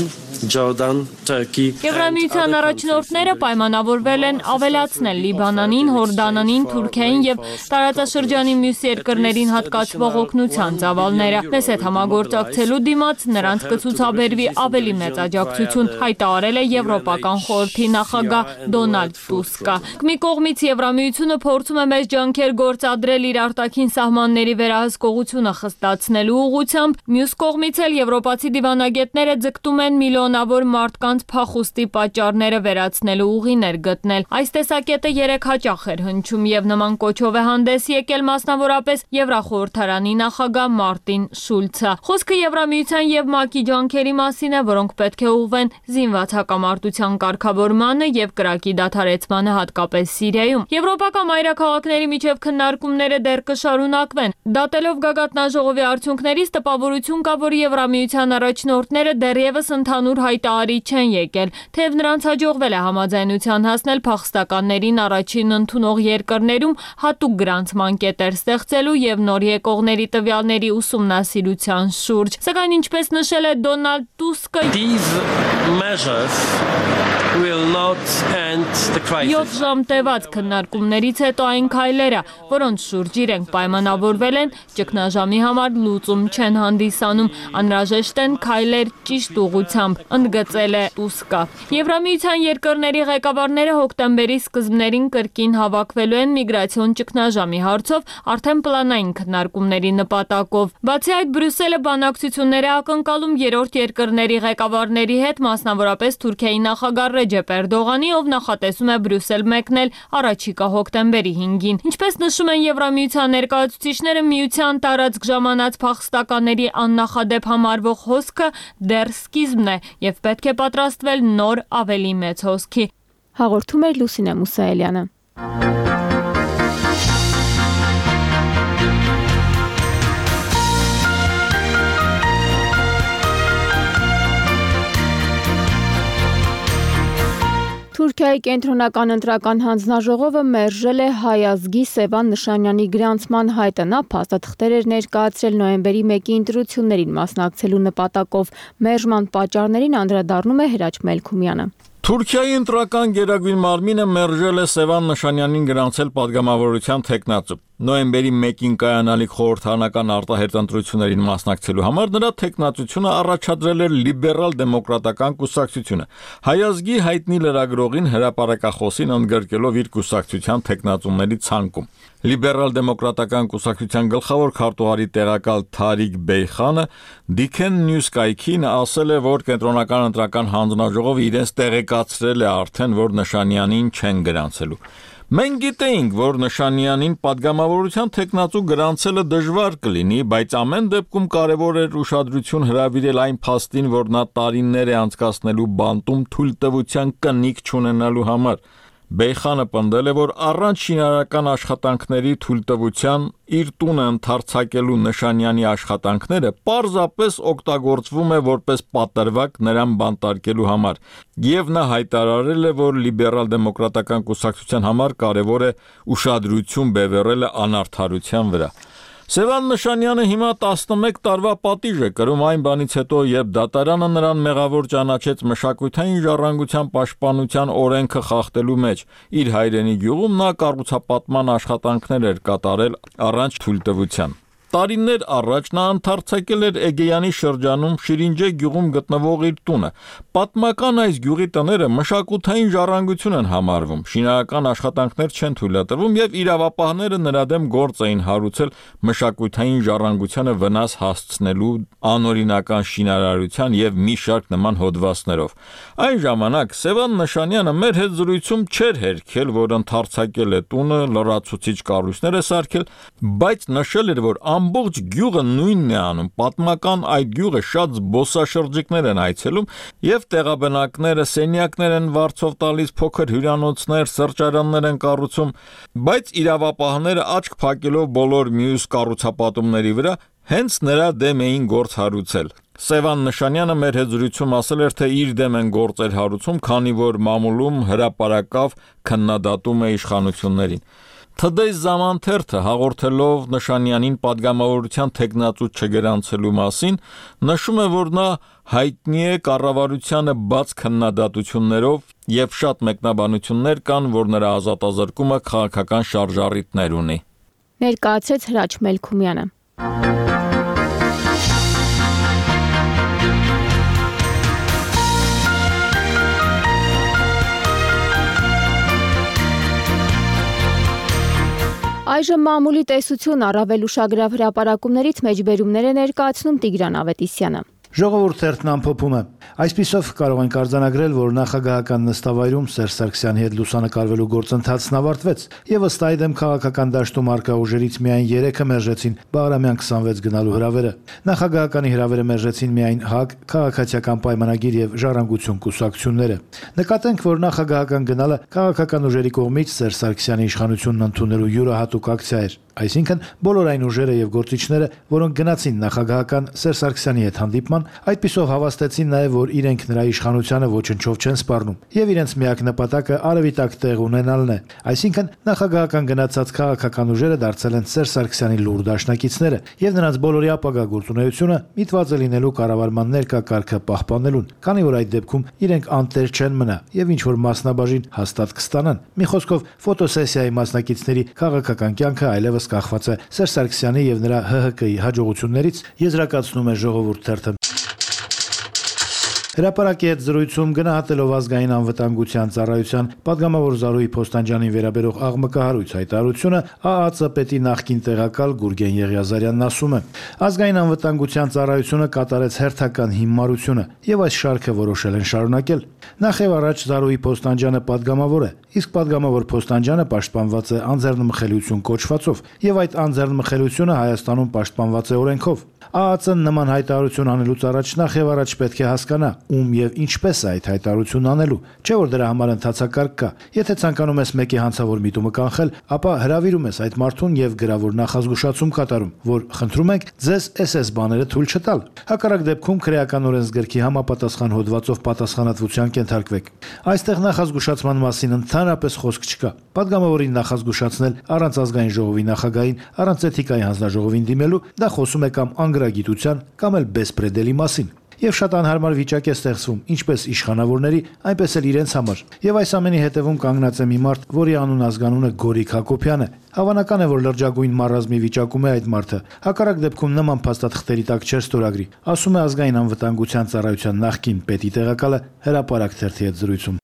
Jordan, Turkey.
Եվրամիության առաջնորդները պայմանավորվել են ավելացնել Լիբանանին, Հորդանանին, Թուրքիային եւ տարածաշրջանի մյուս երկրներին հատկացվող օգնության ծավալները։ Մեզ հետ համագործակցելու դիմաց նրանց կցուցաբերվի ավելի մեծ աջակցություն, հայտարարել է Եվրոպական խորհրդի նախագահ Դոնալդ Տուսկը։ Մի կողմից Եվրամիությունը փորձում է մեծ ջանքեր գործադրել իր արտաքին սահմանների վերահսկողությունը խստացնելու ուղղությամբ, մյուս կողմից էլ եվրոպացի դիվանագետները ձգտում են միլիոնավոր մարդկանց փախուստի պատճառները վերացնելու ուղիներ գտնել։ Այս տեսակետը երեք հաճախ էր հնչում եւ նման կոչով է հանդես եկել մասնավորապես Եվրախորհրդարանի նախագահ Մարտին Շուլցը։ Խոսքը Եվրամիության եւ ՄԱԿ-ի ջանքերի մասին է, որոնք պետք է ուղղվեն զինված հակամարտության կարգավորմանը եւ կրակի դադարեցմանը, հատկապես Սիրիայում։ Եվրոպական մայրաքաղաքների միջև քննարկումները դեռ կշարունակվեն։ Դատելով գագաթնաժողովի արդյունքներից տպավորություն կա, որ Եվրամիության առաջնորդները դեռևս ընդհանուր հայտարարի չեն եկել, թեև նրանց հաջողվել է համաձայնության հասնել փախստականներին առաջին ընդունող երկրներում հատուկ գրանցման կետեր ստեղծելու եւ նոր եկողների տվյալների ուսումնասիրության շուրջ։ Սակայն ինչպես նշել է Դոնալդ Տուսկը, յոթ ժամ տևած քննարկումներից հետո այն քայլերը, որոնց շուրջ իրենք պայմանավորվել են, ճգնաժամի համար լուծում չեն հանդիսանում, անհրաժեշտ են քայլեր ճիշտ ուղղությամբ, ընդգծել է Տուսկը։ Եվրամիության երկրների ղեկավարները հոկտեմբերի սկզբներին կրկին հավաքվելու են միգրացիոն ճգնաժամի հարցով արդեն պլանային քննարկումների նպատակով։ Բացի այդ, Բրյուսելը բանակցություններ է ակնկալում երրորդ երկրների ղեկավարների հետ, մասնավորապես Թուրքիայի նախագահ Ռեջեփ Էրդողանի, ով նախատեսում է Բրյուսել մեկնել առաջիկա հոկտեմբերի հինգին։ Ինչպես նշում են Եվրամիության ներկայացուցիչները, միության տարածք ժամանած փախստականների աննախադեպ համարվող հոսքը դեռ սկիզբն է եւ պետք է պատրաստվել նոր ավելի մեծ հոսքի։
Հաղորդում էր Լուսինե Մուսայելյանը։ Թուրքիայի կենտրոնական ընտրական հանձնաժողովը մերժել է հայ ազգի Սևան Նշանյանի գրանցման հայտը։ Նա փաստաթղթեր էր ներկայացրել նոյեմբերի մեկի ընտրություններին մասնակցելու նպատակով։ Մերժման պատճառներին անդրադառնում է Հրաչ Մելքումյանը։
Թուրքիայի ընտրական գերագույն մարմինը մերժել է Սևան Նշանյանին գրանցել падգամավորության թեկնածու։ Նոյեմբերի մեկին կայանալիք խորհրդարանական արտահերթ ընտրություններին մասնակցելու համար նրա թեկնածությունը առաջադրել էր լիբերալ դեմոկրատական կուսակցությունը։ Հայ ազգի հայտնի լրագրողին հրապարակախոսին ընդգրկելով իր կուսակցության թեկնածուների ցանկում։ Լիբերալ դեմոկրատական կուսակցության գլխավոր քարտուղարի տեղակալ Թարիկ Բեյխանը Դիքեն Նյուս կայքին ասել է, որ կենտրոնական ընտրական հանձնաժողովը իրենց տեղեկացրել է արդեն, որ Նշանյանին չեն գրանցելու։ Մենք գիտեինք, որ Նշանյանին падգամավորության թեկնածու գրանցելը դժվար կլինի, բայց ամեն դեպքում կարևոր էր ուշադրություն հրավիրել այն փաստին, որ նա տարիներ է անցկացնելու բանտում թույլտվության կնիք չունենալու համար։ Բեյխանը պնդել է, որ առանց շինարարական աշխատանքների թույլտվության իր տունը ընդարձակելու Նշանյանի աշխատանքները պարզապես օգտագործվում է որպես պատրվակ նրան բանտարկելու համար, եւ նա հայտարարել է, որ լիբերալ դեմոկրատական կուսակցության համար կարևոր է ուշադրություն բևեռելը անարդարության վրա։ Սևան Նշանյանը հիմա տասնմեկ տարվա պատիժ է կրում այն բանից հետո, երբ դատարանը նրան մեղավոր ճանաչեց մշակութային ժառանգության պաշտպանության օրենքը խախտելու մեջ։ Իր հայրենի գյուղում նա կառուցապատման աշխատանքներ էր կատարել առանց թույլտվության։ Տարիներ առաջ նա ընդարձակել էր Էգեյանի շրջանում Շիրինջե գյուղում գտնվող իր տունը։ Պատմական այս գյուղի տները մշակութային ժառանգություն են համարվում, շինարարական աշխատանքներ չեն թույլատրվում եւ իրավապահները նրա դեմ գործ էին հարուցել մշակութային ժառանգությանը վնաս հասցնելու անօրինական շինարարության եւ մի շարք նման հոդվածներով։ Այն ժամանակ Սևան Նշանյանը մեր հետ զրույցում չէր հերքել, որ ընդարձակել է տունը, լրացուցիչ կառույցներ է սարքել, բայց նշել էր, որ ամբողջ գյուղը նույնն է անում։ Պատմական այդ գյուղը շատ զբոսաշրջիկներ են այցելում եւ տեղաբնակները սենյակներ են վարձով տալիս, փոքր հյուրանոցներ, սրճարաններ են կառուցում, բայց իրավապահները աչք փակելով բոլոր մյուս կառուցապատումների վրա հենց նրա դեմ էին գործ հարուցել։ Սևան Նշանյանը մեր հետ զրույցում ասել էր, թե իր դեմ են գործեր հարուցում, քանի որ մամուլում հրապարակավ քննադատում է իշխանություններին։ Թդեյ Զամանթերթը հաղորդելով Նշանյանին падգամավորության թեկնածու չգրանցելու մասին, նշում է, որ նա հայտնի է կառավարությանը բաց քննադատություններով եւ շատ մեկնաբանություններ կան, որ նրա ազատազրկումը քաղաքական շարժառիթներ ունի։
Ներկայացրեց Հրաչ Մելքումյանը։ Այժմ մամուլի տեսություն առավել ուշագրավ հրապարակումներից մեջբերումներ է ներկայացնում Տիգրան Ավետիսյանը։
Ժողովուրդ թերթն ամփոփում է։ Այսպիսով կարող ենք արձանագրել, որ նախագահական նստավայրում Սերժ Սարգսյանի հետ լուսանկարվելու գործընթացն ավարտվեց, եւ ըստ այդմ քաղաքական դաշտում արկա ուժերից միայն երեքը մերժեցին Բաղրամյան քսանվեց գնալու հրավերը։ Նախագահականի հրավերը մերժեցին միայն ՀԱԿ, Քաղաքացիական պայմանագիր եւ Ժառանգություն կուսակցությունները։ Նկատենք, որ նախագահական գնալը քաղաքական ուժերի կողմից Սերժ Սարգսյանի իշխանությունն ընդունելու յուրահատուկ ակցիա էր։ այսինքն բոլոր այն ուժերը եւ գործիչները, որոնք գնացին նախագահական Սերժ Սարգսյանի հետ հանդիպման, այդպիսով հավաստեցին նաեւ, որ իրենք նրա իշխանությանը ոչնչով չեն սպառնում եւ իրենց միակ նպատակը արևի տակ տեղ ունենալն է։ Այսինքն նախագահական գնացած քաղաքական ուժերը դարձել են Սերժ Սարգսյանի լուր դաշնակիցները եւ նրանց բոլորի ապագա գործունեությունը միտված է լինելու կառավարման ներկա կարգը պահպանելուն, քանի որ այդ դեպքում իրենք անտեր չեն մնա եւ ինչ որ մասնաբաժին հաստատ կստանան։ Մի խոսքով ֆոտոսեսիայի մասնակիցների քաղաքական կյանքը այլևս կախված է Սերժ Սարգսյանի եւ նրա Հ Հ Կի հաջողություններից, եզրակացնում է Ժողովուրդ թերթը։ Հրապարակի հետ զրույցում գնահատելով ազգային անվտանգության ծառայության падգամավոր Զարուհի Փոստանջյանին վերաբերող աղմկահարույց հայտարարությունը, Ա Ա Ծ պետի նախկին տեղակալ Գուրգեն Եղիազարյանն ասում է. ազգային անվտանգության ծառայությունը կատարեց հերթական հիմարությունը եւ այս շարքը որոշել են շարունակել։ Նախ եւ առաջ Զարուհի Փոստանջյանը падգամավոր է, իսկ падգամավոր Փոստանջյանը պաշտպանված է անձեռնմխելիություն կոչվածով եւ այդ անձեռնմխելիությունը Հայաստանում պաշտպանված է օրենքով։ Ա Ա Ծ-ն նման հայտարարություն անելուց առաջ նախ եւ առաջ պետք է հասկանա ում եւ ինչպես է այդ հայտարարությունն անելու, չէ որ դրա համար ընթացակարգ կա։ Եթե ցանկանում ես մեկի հանցավոր միտումը կանխել, ապա հրավիրում ես այդ մարդուն եւ գրավոր նախազգուշացում կատարում, որ խնդրում ենք ձեզ էս էս բաները թույլ չտալ։ Հակառակ դեպքում քրեական օրենսգրքի համապատասխան հոդվածով պատասխանատվության կենթարկվեք։ Այստեղ նախազգուշացման մասին ընդհանրապես խոսք չկա։ Պատգամավորին նախազգուշացնել առանց ազգային ժողովի նախագահին, առանց էթիկայի հանձնաժողովին դիմելու, դա խոսում է կամ անգրագիտության, կամ էլ բեսպրեդելի մասին։ Եվ շատ անհարմար վիճակ է ստեղծվում ինչպես իշխանավորների, այնպես էլ իրենց համար։ Եվ այս ամենի հետևում կանգնած է մի մարդ, որի անուն ազգանունը Գորիկ Հակոբյան է։ Հավանական է, որ լրջագույն մարազմի վիճակում է այդ մարդը։ Հակառակ դեպքում նման փաստաթղթերի տակ չէր ստորագրի, ասում է ազգային անվտանգության ծառայության նախկին պետի տեղակալը Հրապարակ թերթի հետ զրույցում։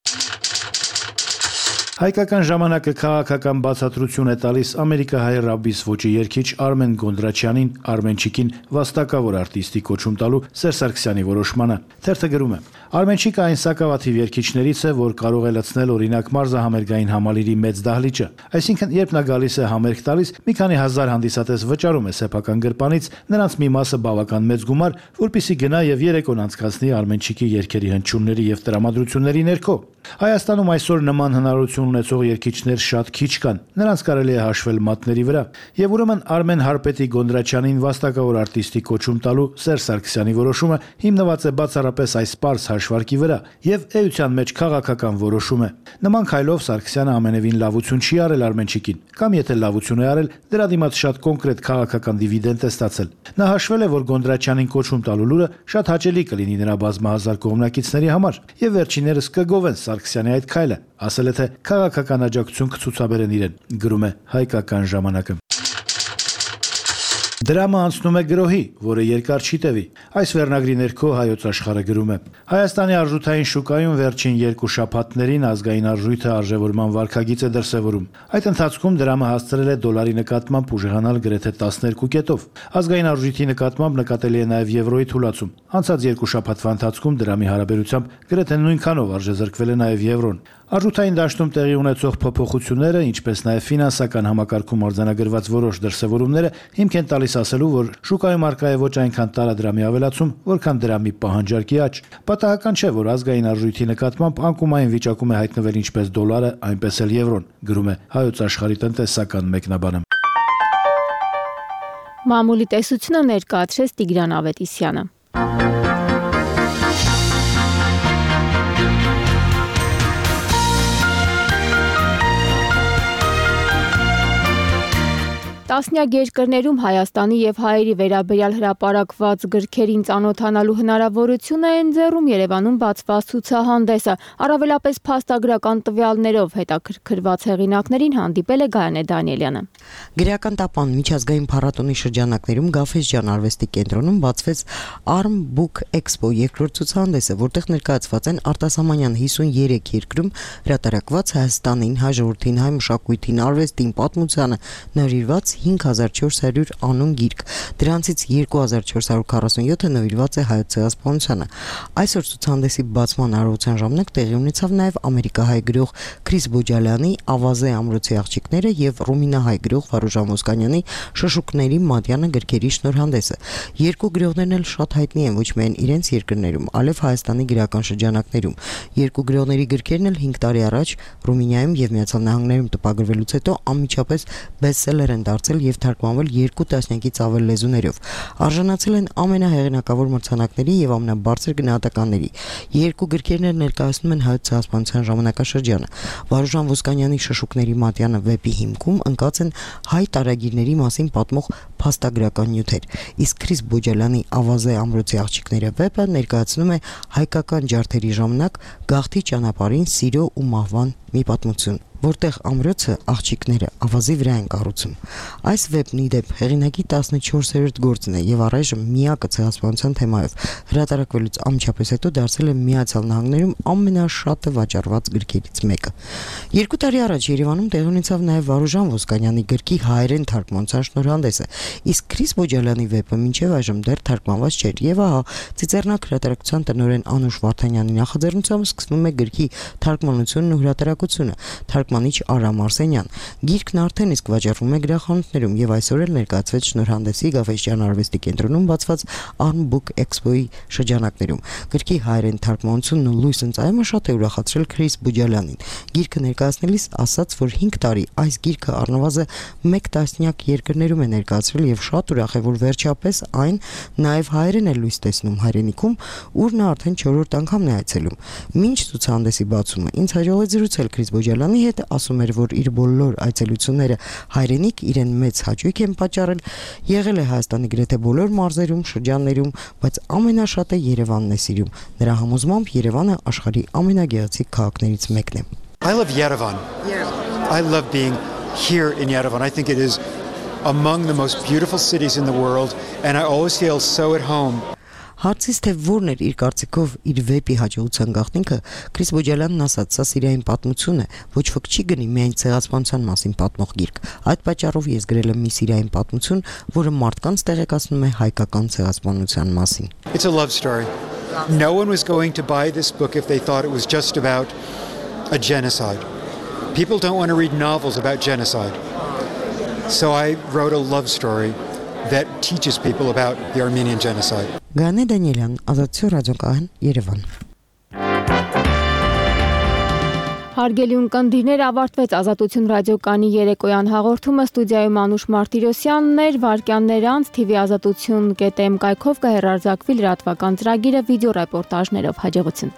Հայկական ժամանակը քաղաքական բացատրություն է տալիս ամերիկահայ ռաբիս ոճի երգիչ Արմեն Գոնդրաչյանին, Արմենչիկին վաստակավոր արտիստի կոչում տալու Սերժ Սարգսյանի որոշմանը։ Թերթը գրում է. Արմենչիկը այն սակավաթիվ երգիչներից է, որ կարող է լցնել օրինակ մարզահամերգային համալիրի մեծ դահլիճը։ Այսինքն, երբ նա գալիս է համերգ տալիս, մի քանի հազար հանդիսատես վճարում է սեփական գրպանից, նրանց մի մասը բավական մեծ գումար, որպեսզի գնա եւ երեկոն անցկացնի Արմենչիկի երգերի հնչյունների եւ տրամադրությունների ներքո։ Հայաստանում այսօր նման հնարավորություն ունեցող երգիչներ շատ քիչ կան, նրանց կարելի է հաշվել մատների վրա։ Եվ ուրեմն Արմեն Հարպետի Գոնդրաչյանին վաստակավոր արտիստի կոչում տալու Սերժ Սարգսյանի որոշումը հիմնված է բացառապես այս պարզ հաշվարկի վրա եւ էության մեջ քաղաքական որոշում է։ Նման քայլով Սարգսյանը ամենևին լավություն չի արել Արմենչիկին, կամ եթե լավություն է արել, դրա դիմաց շատ կոնկրետ քաղաքական դիվիդենդ է ստացել։ Նա հաշվել է, որ Գոնդրաչյանին կոչում տալու լուրը շատ հաճելի կլինի նրա բազմահազար կողմնակիցների համար եւ վերջիններս կգովեն Սարգսյանի այդ քայլը, ասել է թե քաղաքական աջակցություն կցուցաբերեն իրեն, գրում է Հայկական ժամանակը։ Դրամը անցնում է գրոհի, որը երկար չի տևի։ Այս վերնագրի ներքո Հայոց աշխարհը գրում է. Հայաստանի արժութային շուկայում վերջին երկու շաբաթներին ազգային արժույթը արժևորման վարքագիծ է դրսևորում։ Այդ ընթացքում դրամը հասցրել է դոլարի նկատմամբ ուժեղանալ գրեթե տասներկու կետով։ Ազգային արժույթի նկատմամբ նկատելի է նաև եվրոյի թուլացում։ Անցած երկու շաբաթվա ընթացքում դրամի հարաբերությամբ գրեթե նույնքանով արժեզրկվել է նաև եվրոն։ Արժութային դաշտում տեղի ունեցող փոփոխությունները, ինչպես նաև ֆինանսական համակարգում արձանագրված որոշ դրսևորումները հիմք են տալիս ասելու, որ շուկայում առկա է ոչ այնքան տարադրամի ավելացում, որքան դրամի պահանջարկի աճ։ Պատահական չէ, որ ազգային արժույթի նկատմամբ անկումային վիճակում է հայտնվել ինչպես դոլարը, այնպես էլ եվրոն, գրում է Հայոց աշխարհի տնտեսական մեկնաբանը։
Մամուլի տեսությունը ներկայացրեց Տիգրան Ավետիսյանը։ Տասնյակ երկրներում Հայաստանի եւ հայերի վերաբերյալ հրապարակված գրքերին ծանոթանալու հնարավորություն է ընձեռում Երևանում բացված ցուցահանդեսը։ Առավելապես փաստագրական տվյալներով հետաքրքրված հեղինակներին հանդիպել է Գայանե Դանիելյանը։
Գրական տապան միջազգային փառատոնի շրջանակներում Գաֆէսջան արվեստի կենտրոնում բացվեց Arm Book Expo երկրորդ ցուցահանդեսը, որտեղ ներկայացված են արտասահմանյան հիսուներեք երկրում հրատարակված Հայաստանին, հայ ժողովրդին, հայ մշակույթին, արվեստին, պատմությանը նվիրված հինգ հազար չորս հարյուր անուն գիրք, դրանցից երկու հազար չորս հարյուր քառասունյոթը նվիրված է հայոց ցեղասպանությանը։ Այսօր ցուցահանդեսի բացման արարողության ժամանակ տեղի ունեցավ նաև ամերիկահայ գրող Քրիս Բոջալյանի Ավազե ամրոցի աղջիկները եւ ռումինահայ գրող Վարուժան Ոսկանյանի Շշուկների Մատյանը գրքերի շնորհանդեսը։ Երկու գրողներն էլ շատ հայտնի են ոչ միայն իրենց երկրներում, այլև Հայաստանի գրական շրջանակներում։ Երկու գրողների գրքերն էլ հինգ տարի առաջ Ռումինիայում եւ Միացյալ Նահանգներում տպագրվելուց հետո անմիջապես բեսթսելեր են դարձել ներկայացել եւ թարգմանվել երկու տասնյակից ավել լեզուներով։ Արժանացել են ամենահեղինակավոր մրցանակների եւ ամենաբարձր գնահատականների։ Երկու գրքերն էլ ներկայացնում են հայոց ցեղասպանության ժամանակաշրջանը։ Վարուժան Ոսկանյանի Շշուկների Մատյանը վեպի հիմքում ընկած են հայ տարագիրների մասին պատմող փաստագրական նյութեր, իսկ Քրիս Բոջալյանի Ավազե ամրոցի աղջիկները վեպը ներկայացնում է հայկական ջարդերի ժամանակ գաղթի ճանապարհին սիրո ու մահվան մի պատմություն, որտեղ ամրոցը աղջիկները ավազի վրա են կառուցում։ Այս վեպն ի դեպ հեղինակի տասնչորսերորդ գործն է եւ առայժմ միակը ցեղասպանության թեմայով հրատարակվելուց անմիջապես հետո դարձել է Միացյալ Նահանգներում ամենաշատը վաճառված գրքերից մեկը։ Երկու տարի առաջ Երևանում տեղի ունեցավ նաեւ Վարուժան Ոսկանյանի գրքի հայերեն թարգմանության շնորհանդեսը, իսկ Քրիս Բոջալյանի վեպը մինչեւ այժմ դեռ թարգմանված չէր եւ ահա Ծիծեռնակ հրատարակության տնօրեն Անուշ Վարդանյանի նախաձեռնությամբ սկսվում է գրքի թարգմանությունն ու հրատարակությունը։ Թարգմանիչ Արամ Արսենյան։ Գիրքն արդեն իսկ վաճառվում է գրախանութներում եւ այսօր էլ ներկայացվեց շնորհանդեսի Գաֆէսճեան արվեստի կենտրոնում բացված Arm Book Expo-ի շրջանակներում։ Գրքի հայերեն թարգմանությունն ու լույս ընծայումը շատ է ուրախացրել Քրիս Բոջալյանին։ Գիրքը ներկայացնելիս ասաց, որ հինգ տարի այս գիրքը առնվազն մեկ տասնյակ երկրներում է ներկայացրել եւ շատ ուրախ է, որ վերջապես այն նաեւ հայերեն է լույս տեսնում հայրենիքում, ուր նա արդեն չորրորդ անգամն է այցելում։ Մինչ ցուցահանդեսի բացումը ինձ հաջողվեց զրուցել Քրիս Բոջալյանի հետ, ասում էր, որ իր բոլոր այցելությունները հայրենիք իրեն մեծ հաճույք են պատճառել, եղել է Հայաստանի գրեթե բոլոր մարզերում, շրջաններում, բայց ամենաշատը Երևանն է սիրում։ Նրա համոզմամբ Երևանը աշխարհի ամենագեղեցիկ քաղաքներից մեկն է։
I love Yerevan. I love being here in Yerevan. I think it is among the most beautiful cities in the world and I always feel so at home.
Հարցից թե որն էր իր կարծիքով իր վեպի հաջողության գաղտնիքը, Քրիս Բոջալյանն ասաց, սա սիրային պատմություն է, ոչ ոք չի գնի միայն ցեղասպանության մասին պատմող գիրք։ Այդ պատճառով ես գրել եմ մի սիրային պատմություն, որը մարդկանց տեղեկացնում է հայկական ցեղասպանության մասին։
It's a love story. No one was going to buy this book if they thought it was just about a genocide. People don't want to read novels about genocide. So I wrote a love story that teaches people about the Armenian genocide.
Գանե Դանիելյան, Ազատություն ռադիոկայան, Երևան։
Հարգելի ունկնդիրներ, ավարտվեց Ազատություն ռադիոկայանի երեկոյան հաղորդումը, ստուդիայում Անուշ Մարտիրոսյանն էր, վայրկյաններ անց T V ազատություն կետ em կայքով կհեռարձակվի լրատվական ծրագիրը վիդեո ռեպորտաժներով։ Հաջողություն։